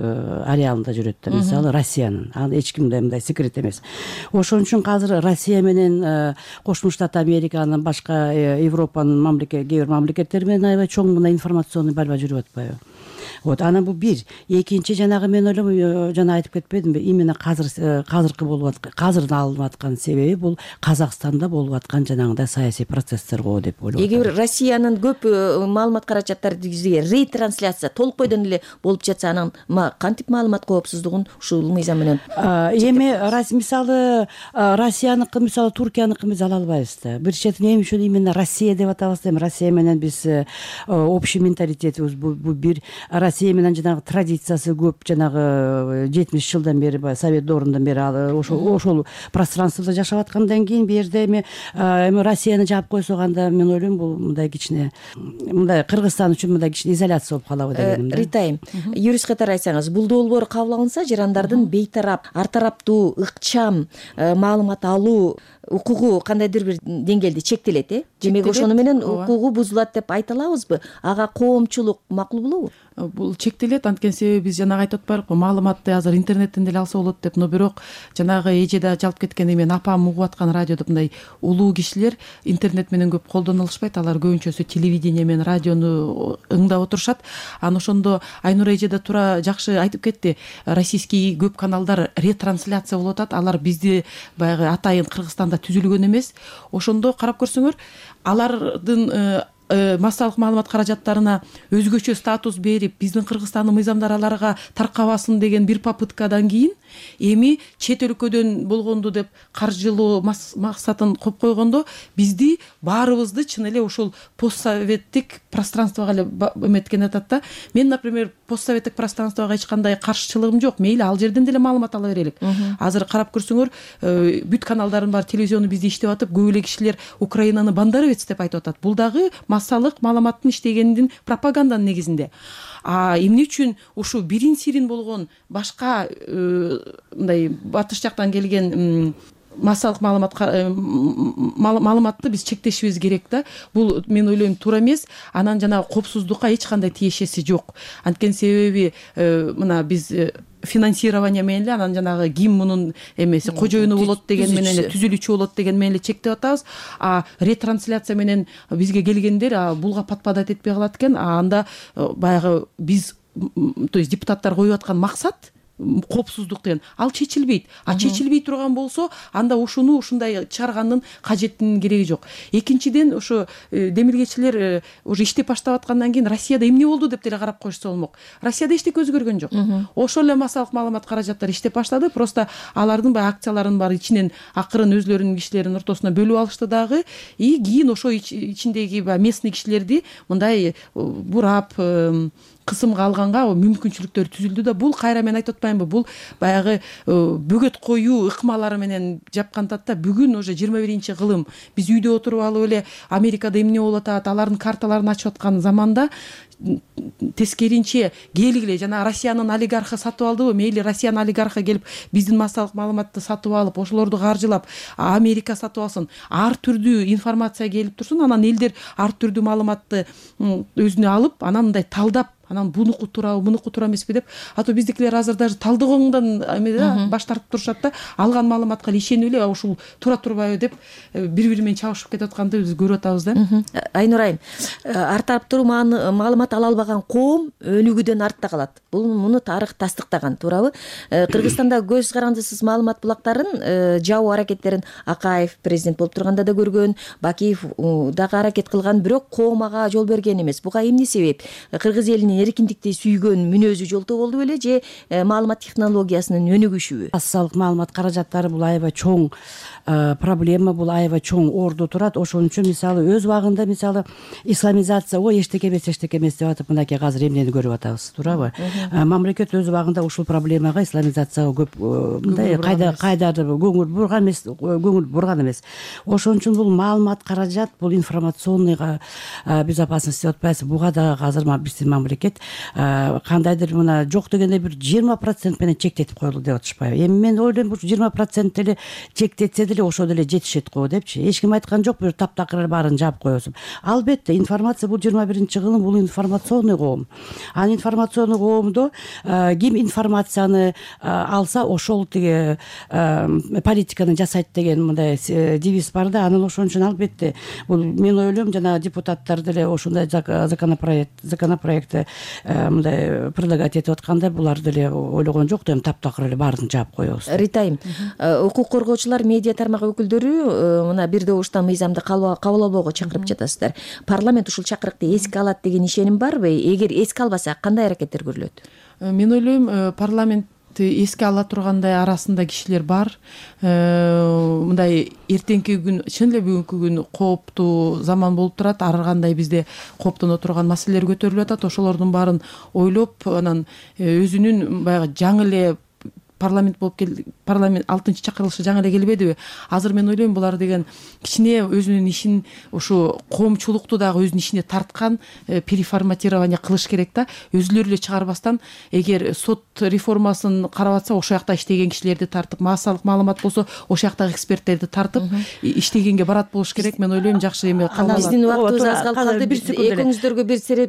ареалында жүрөт да, мисалы Россиянын. Аны эч кимде мындай секрет эмес. Ошон үчүн азыр Россия менен Кошмо Штат Американын, башка Европанын кээ бир мамлекеттери менен аябай чоң мындай информационный борьба жүрүп атпайбы? Вот, анан бул бир. Экинчи жанагы мен ойлойм, жана айтып кетпедимби, именно азыркы болуп аткан, азыр алынып аткан себеби бул Казакстанда болуп аткан жанагындай саясий процесстер го деп ойлойм. Эгер Россиянын көп маалымат каражаттары бизге ретрансляция толук бойдон эле болуп жатса, анан кантип маалымат коопсуздугун ушул мыйзам менен? Эми мисалы Россияныкы, мисалы Туркияныкы биз ала албайбыз да. Бир четинен эмне үчүн именно Россия деп атабыз да? Россия менен биз общий менталитетибиз бул бир. Россия менен жанагы традициясы көп, жанагы 70 жылдан бери, Совет дорундан бери ошол пространствода жашап аткандан кийин бу жерде эми Россияны жаап койсок, анда мен ойлойм бул мындай кичине мындай Кыргызстан үчүн мындай кичине изоляция болуп калабы дегеним да. Ритайым, юрист катары айтсаңыз, бул долбоор кабыл алынса, жарандардын бейтарап, ар тараптуу, ыкчам маалымат алуу укугу кандайдыр бир деңгээлде чектелет, демек ошону менен укугу бузулат деп айта алабызбы? Ага коомчулук макул болобу? бул чектелет. Анткени себеби биз жанагы айтып атпайлыкпы, маалыматты азыр интернеттен деле алса болот деп. Но бирок жанагы эже да жалп кеткенде мен апам угуп аткан радиодо мындай улуу кишилер интернет менен көп колдоно алышпайт. Алар көбүнчөсү телевидение менен радиону ыңдап отурушат. Анан ошондо Айнура эже да туура жакшы айтып кетти. Российский көп каналдар ретрансляция болуп атат. Алар бизди баягы атайын Кыргызстанда түзүлгөн эмес. Ошондо карап көрсөңөр, алардын массалык маалымат каражаттарына өзгөчө статус берип, биздин Кыргызстандын мыйзамдары аларга таркабасын деген бир попыткадан кийин эми чет өлкөдөн болгонду деп каржылоо максатын коюп койгондо бизди баарыбызды чын эле ушул постсоветтик пространствого эле эметкен атат да. Мен, например, постсоветтик пространствого эч кандай каршычылыгым жок. Мейли ал жерден деле маалымат ала берелик. Азыр карап көрсөңөр, бүт каналдардын баары телевизиону бизде иштеп атып, көп эле кишилер Украинаны Бандаровец деп айтып атат. Бул дагы массалык маалыматтын иштегенин пропаганданын негизинде. Эмне үчүн ушу бирин сирин болгон башка мындай батыш жактан келген массалык маалыматты биз чектешибиз керек да. Бул мен ойлойм туура эмес. Анан жанагы коопсуздукка эч кандай тиешеси жок. Анткени себеби мына биз финансирование менен эле, анан жанагы ким мунун эмеси кожоюну болот деген менен эле, түзүлүүчү болот деген менен эле чектеп атабыз. Ретрансляция менен бизге келгендер булга подпадать этпей калат экен. Анда баягы биз, то есть депутаттар коюп аткан максат коопсуздук деген ал чечилбейт. Чечилбей турган болсо, анда ушуну ушундай чыгаргандын кажеттинин кереги жок. Экинчиден, ошо демилгечилер уже иштеп баштап аткандан кийин Россияда эмне болду деп деле карап коюшса болмок. Россияда эчтеке өзгөргөн жок. Ошол эле массалык маалымат каражаттары иштеп баштады. Просто алардын баягы акцияларын баары ичинен акырын өзлөрүнүн кишилеринин ортосуна бөлүп алышты дагы. Кийин ошо ичиндеги местный кишилерди мындай бурап кысымга алганга мүмкүнчүлүктөр түзүлдү да. Бул кайра мен айтып атпаймынбы, бул баягы бөгөт коюу ыкмалары менен жапкантат да. Бүгүн уже 21-кылым. Биз үйдө отуруп алып эле Америкада эмне болуп атат, алардын карталарын ачып аткан заманда тескеринче келгиле жана Россиянын олигархы сатып алдыбы, мейли Россиянын олигархы келип биздин массалык маалыматты сатып алып, ошолорду каржылап, Америка сатып алсын, ар түрдүү информация келип турсун, анан элдер ар түрдүү маалыматты өзүнө алып, анан мындай талдап, анан бунуку туурабы, мунуку туура эмеспи деп, ато биздикилер азыр даже талдоогоңдон баш тартып турушат да. Алган маалыматка ишенип эле ушул туура турбайбы деп бири-бири менен чабышып кетип атканды биз көрүп атабыз да. Айнур айым, ар тараптуу маалымат ала албаган коом өнүгүүдөн артта калат. Муну тарых тастыктаган, туурабы? Кыргызстанда көз карандысыз маалымат булактарын жабуу аракеттерин Акаев президент болуп турганда да көргөн, Бакиев дагы аракет кылган, бирок коом ага жол берген эмес. Буга эмне себеп? Кыргыз элинин эркиндикти сүйгөн мүнөзү жолтоо болдубу эле же маалымат технологиясынын өнүгүшүбү? Массалык маалымат каражаттары бул аябай чоң проблема, бул аябай чоң орду турат. Ошон үчүн мисалы өз убагында мисалы исламизация, эчтеке эмес деп атып мынакей азыр эмнени көрүп атабыз, туурабы? Мамлекет өз убагында ушул проблемага, исламизацияга көп мындай кайдарды көңүл бурган эмес. Ошон үчүн бул маалымат каражат, бул информационный безопасность деп атпайбызбы? Буга да азыр биздин мамлекет кандайдыр мына жок дегенде бир 20% менен чектетип коелу деп атышпайбы? Эми мен ойлойм, бул 20% деле чектетсе деле ошо деле жетишет го депчи. Эч ким айткан жок, бир таптакыр баарын жаап коесуң. Албетте информация бул 21-кылым, бул информационный коом. Анын информационный коомдо ким информацияны алса ошол тиги политиканы жасайт деген мындай девиз бар да. Анан ошон үчүн албетте бул мен ойлойм жана депутаттар деле ошондой законопроектти мындай предлагать этип атканда булар деле ойлогон жок да, таптакыр эле баарын жаап коебуз. Ритайым, укук коргоочулар, медиа тармак өкүлдөрү мына бир добуштан мыйзамды кабыл албоого чакырып жатасыздар. Парламент ушул чакырыкты эске алат деген ишеним барбы? Эгер эске албаса, кандай аракеттер көрүлөт? Мен ойлойм, парламент эске ала тургандай арасында кишилер бар. Мындай эртеңки күн, чын эле бүгүнкү күн кооптуу заман болуп турат. Ар кандай бизде кооптоно турган маселелер көтөрүлүп атат. Ошолордун баарын ойлоп, анан өзүнүн баягы жаңы эле парламент болуп парламент 6-чакырылышы жаңы эле келбедиби? Азыр мен ойлойм булар деген кичине өзүнүн ишин ушу коомчулукту дагы өзүнүн ишине тарткан переформатирование кылыш керек да. Өзүлөрү эле чыгарбастан эгер сот реформасын карап атса ошол жакта иштеген кишилерди тартып, массалык маалымат болсо ошол жактагы эксперттерди тартып иштегенге барат болуш керек. Мен ойлойм жакшы эме калат. Биздин убактыбыз аз калды. Экөөңүздөргө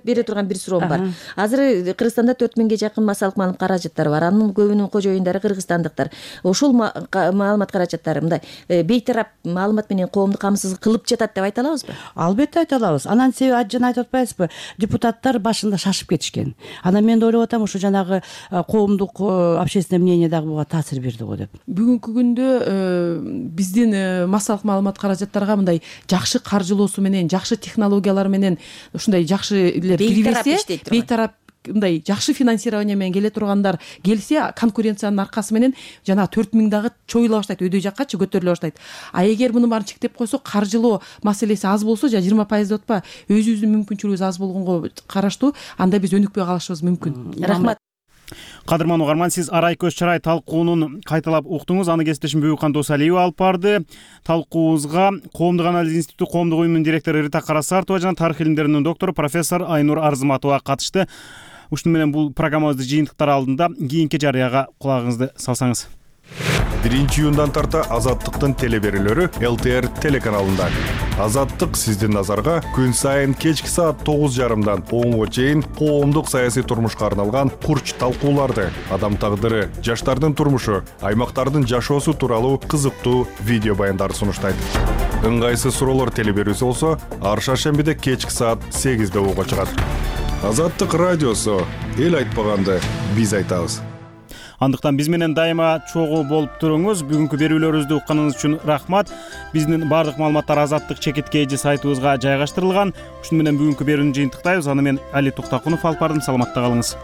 бере турган бир суроом бар. Азыр Кыргызстанда 4000ге жакын массалык маалымат каражаттары бар. Анын көбүнүн кожоюндары кыргызстандыктар. Ошол маалымат каражаттары мындай бейтарап маалымат менен коомду камсыз кылып жатат деп айта алабызбы? Албетте айта алабыз. Анан себеби жана айтып атпайбызбы? Депутаттар башында шашып кетишкен. Анан мен ойлоп атам, ушу жанагы коомдук общественное мнение дагы буга таасир берди го деп. Бүгүнкү күндө биздин массалык маалымат каражаттарга мындай жакшы каржылоосу менен, жакшы технологиялар менен ушундай жакшы элер кирбесе, бейтарап мындай жакшы финансирование менен келе тургандар келсе, конкуренциянын аркасы менен жана 4000 дагы чоюла баштайт, өйдө жаккачы көтөрүлө баштайт. А эгер муну баарын чектеп койсо, каржылоо маселеси аз болсо, жана 20% деп атпа, өзүбүздүн мүмкүнчүлүгүбүз аз болгонго караштуу, анда биз өнүкпөй калышыбыз мүмкүн. Рахмат. Кадырман угарман, сиз Арай көз чарай талкуунун кайталап уктуңуз. Аны кесиптешим Бүйүкхан Досалиева алып барды. Талкуубузга Коомдук анализ институту коомдук уюмунун директору Рита Карасартова жана тарых илимдеринин доктору профессор Айнур Арзыматова катышты. Ушуну менен бул программабызды жыйынтыктар алдында кийинки жарыяга кулагыңызды салсаңыз. 1-июндан тарта Азаттыктын телеберүүлөрү ЛТР телеканалында. Азаттык сиздин назарга күн сайын кечки саат 9:30дан 10:00 чейин коомдук саясий турмушка арналган курч талкууларды, адам тагдыры, жаштардын турмушу, аймактардын жашоосу тууралуу кызыктуу видео баяндарды сунуштайт. Ыңгайсыз суроолор телеберүүсү болсо, ар шаршембиде кечки саат 8:00 угуга чыгат. Азаттык радиосу, эл айтпаганды биз айтабыз. Андыктан биз менен дайыма чогуу болуп туруңуз. Бүгүнкү берүүлөрүбүздү укканыңыз үчүн рахмат. Биздин бардык маалыматтар Азаттык чекиткейжи сайтыбызга жайгаштырылган. Ушуну менен бүгүнкү берүүнү жыйынтыктайбыз. Аны мен Али Токтокунов алып бардым. Саламатта калыңыз.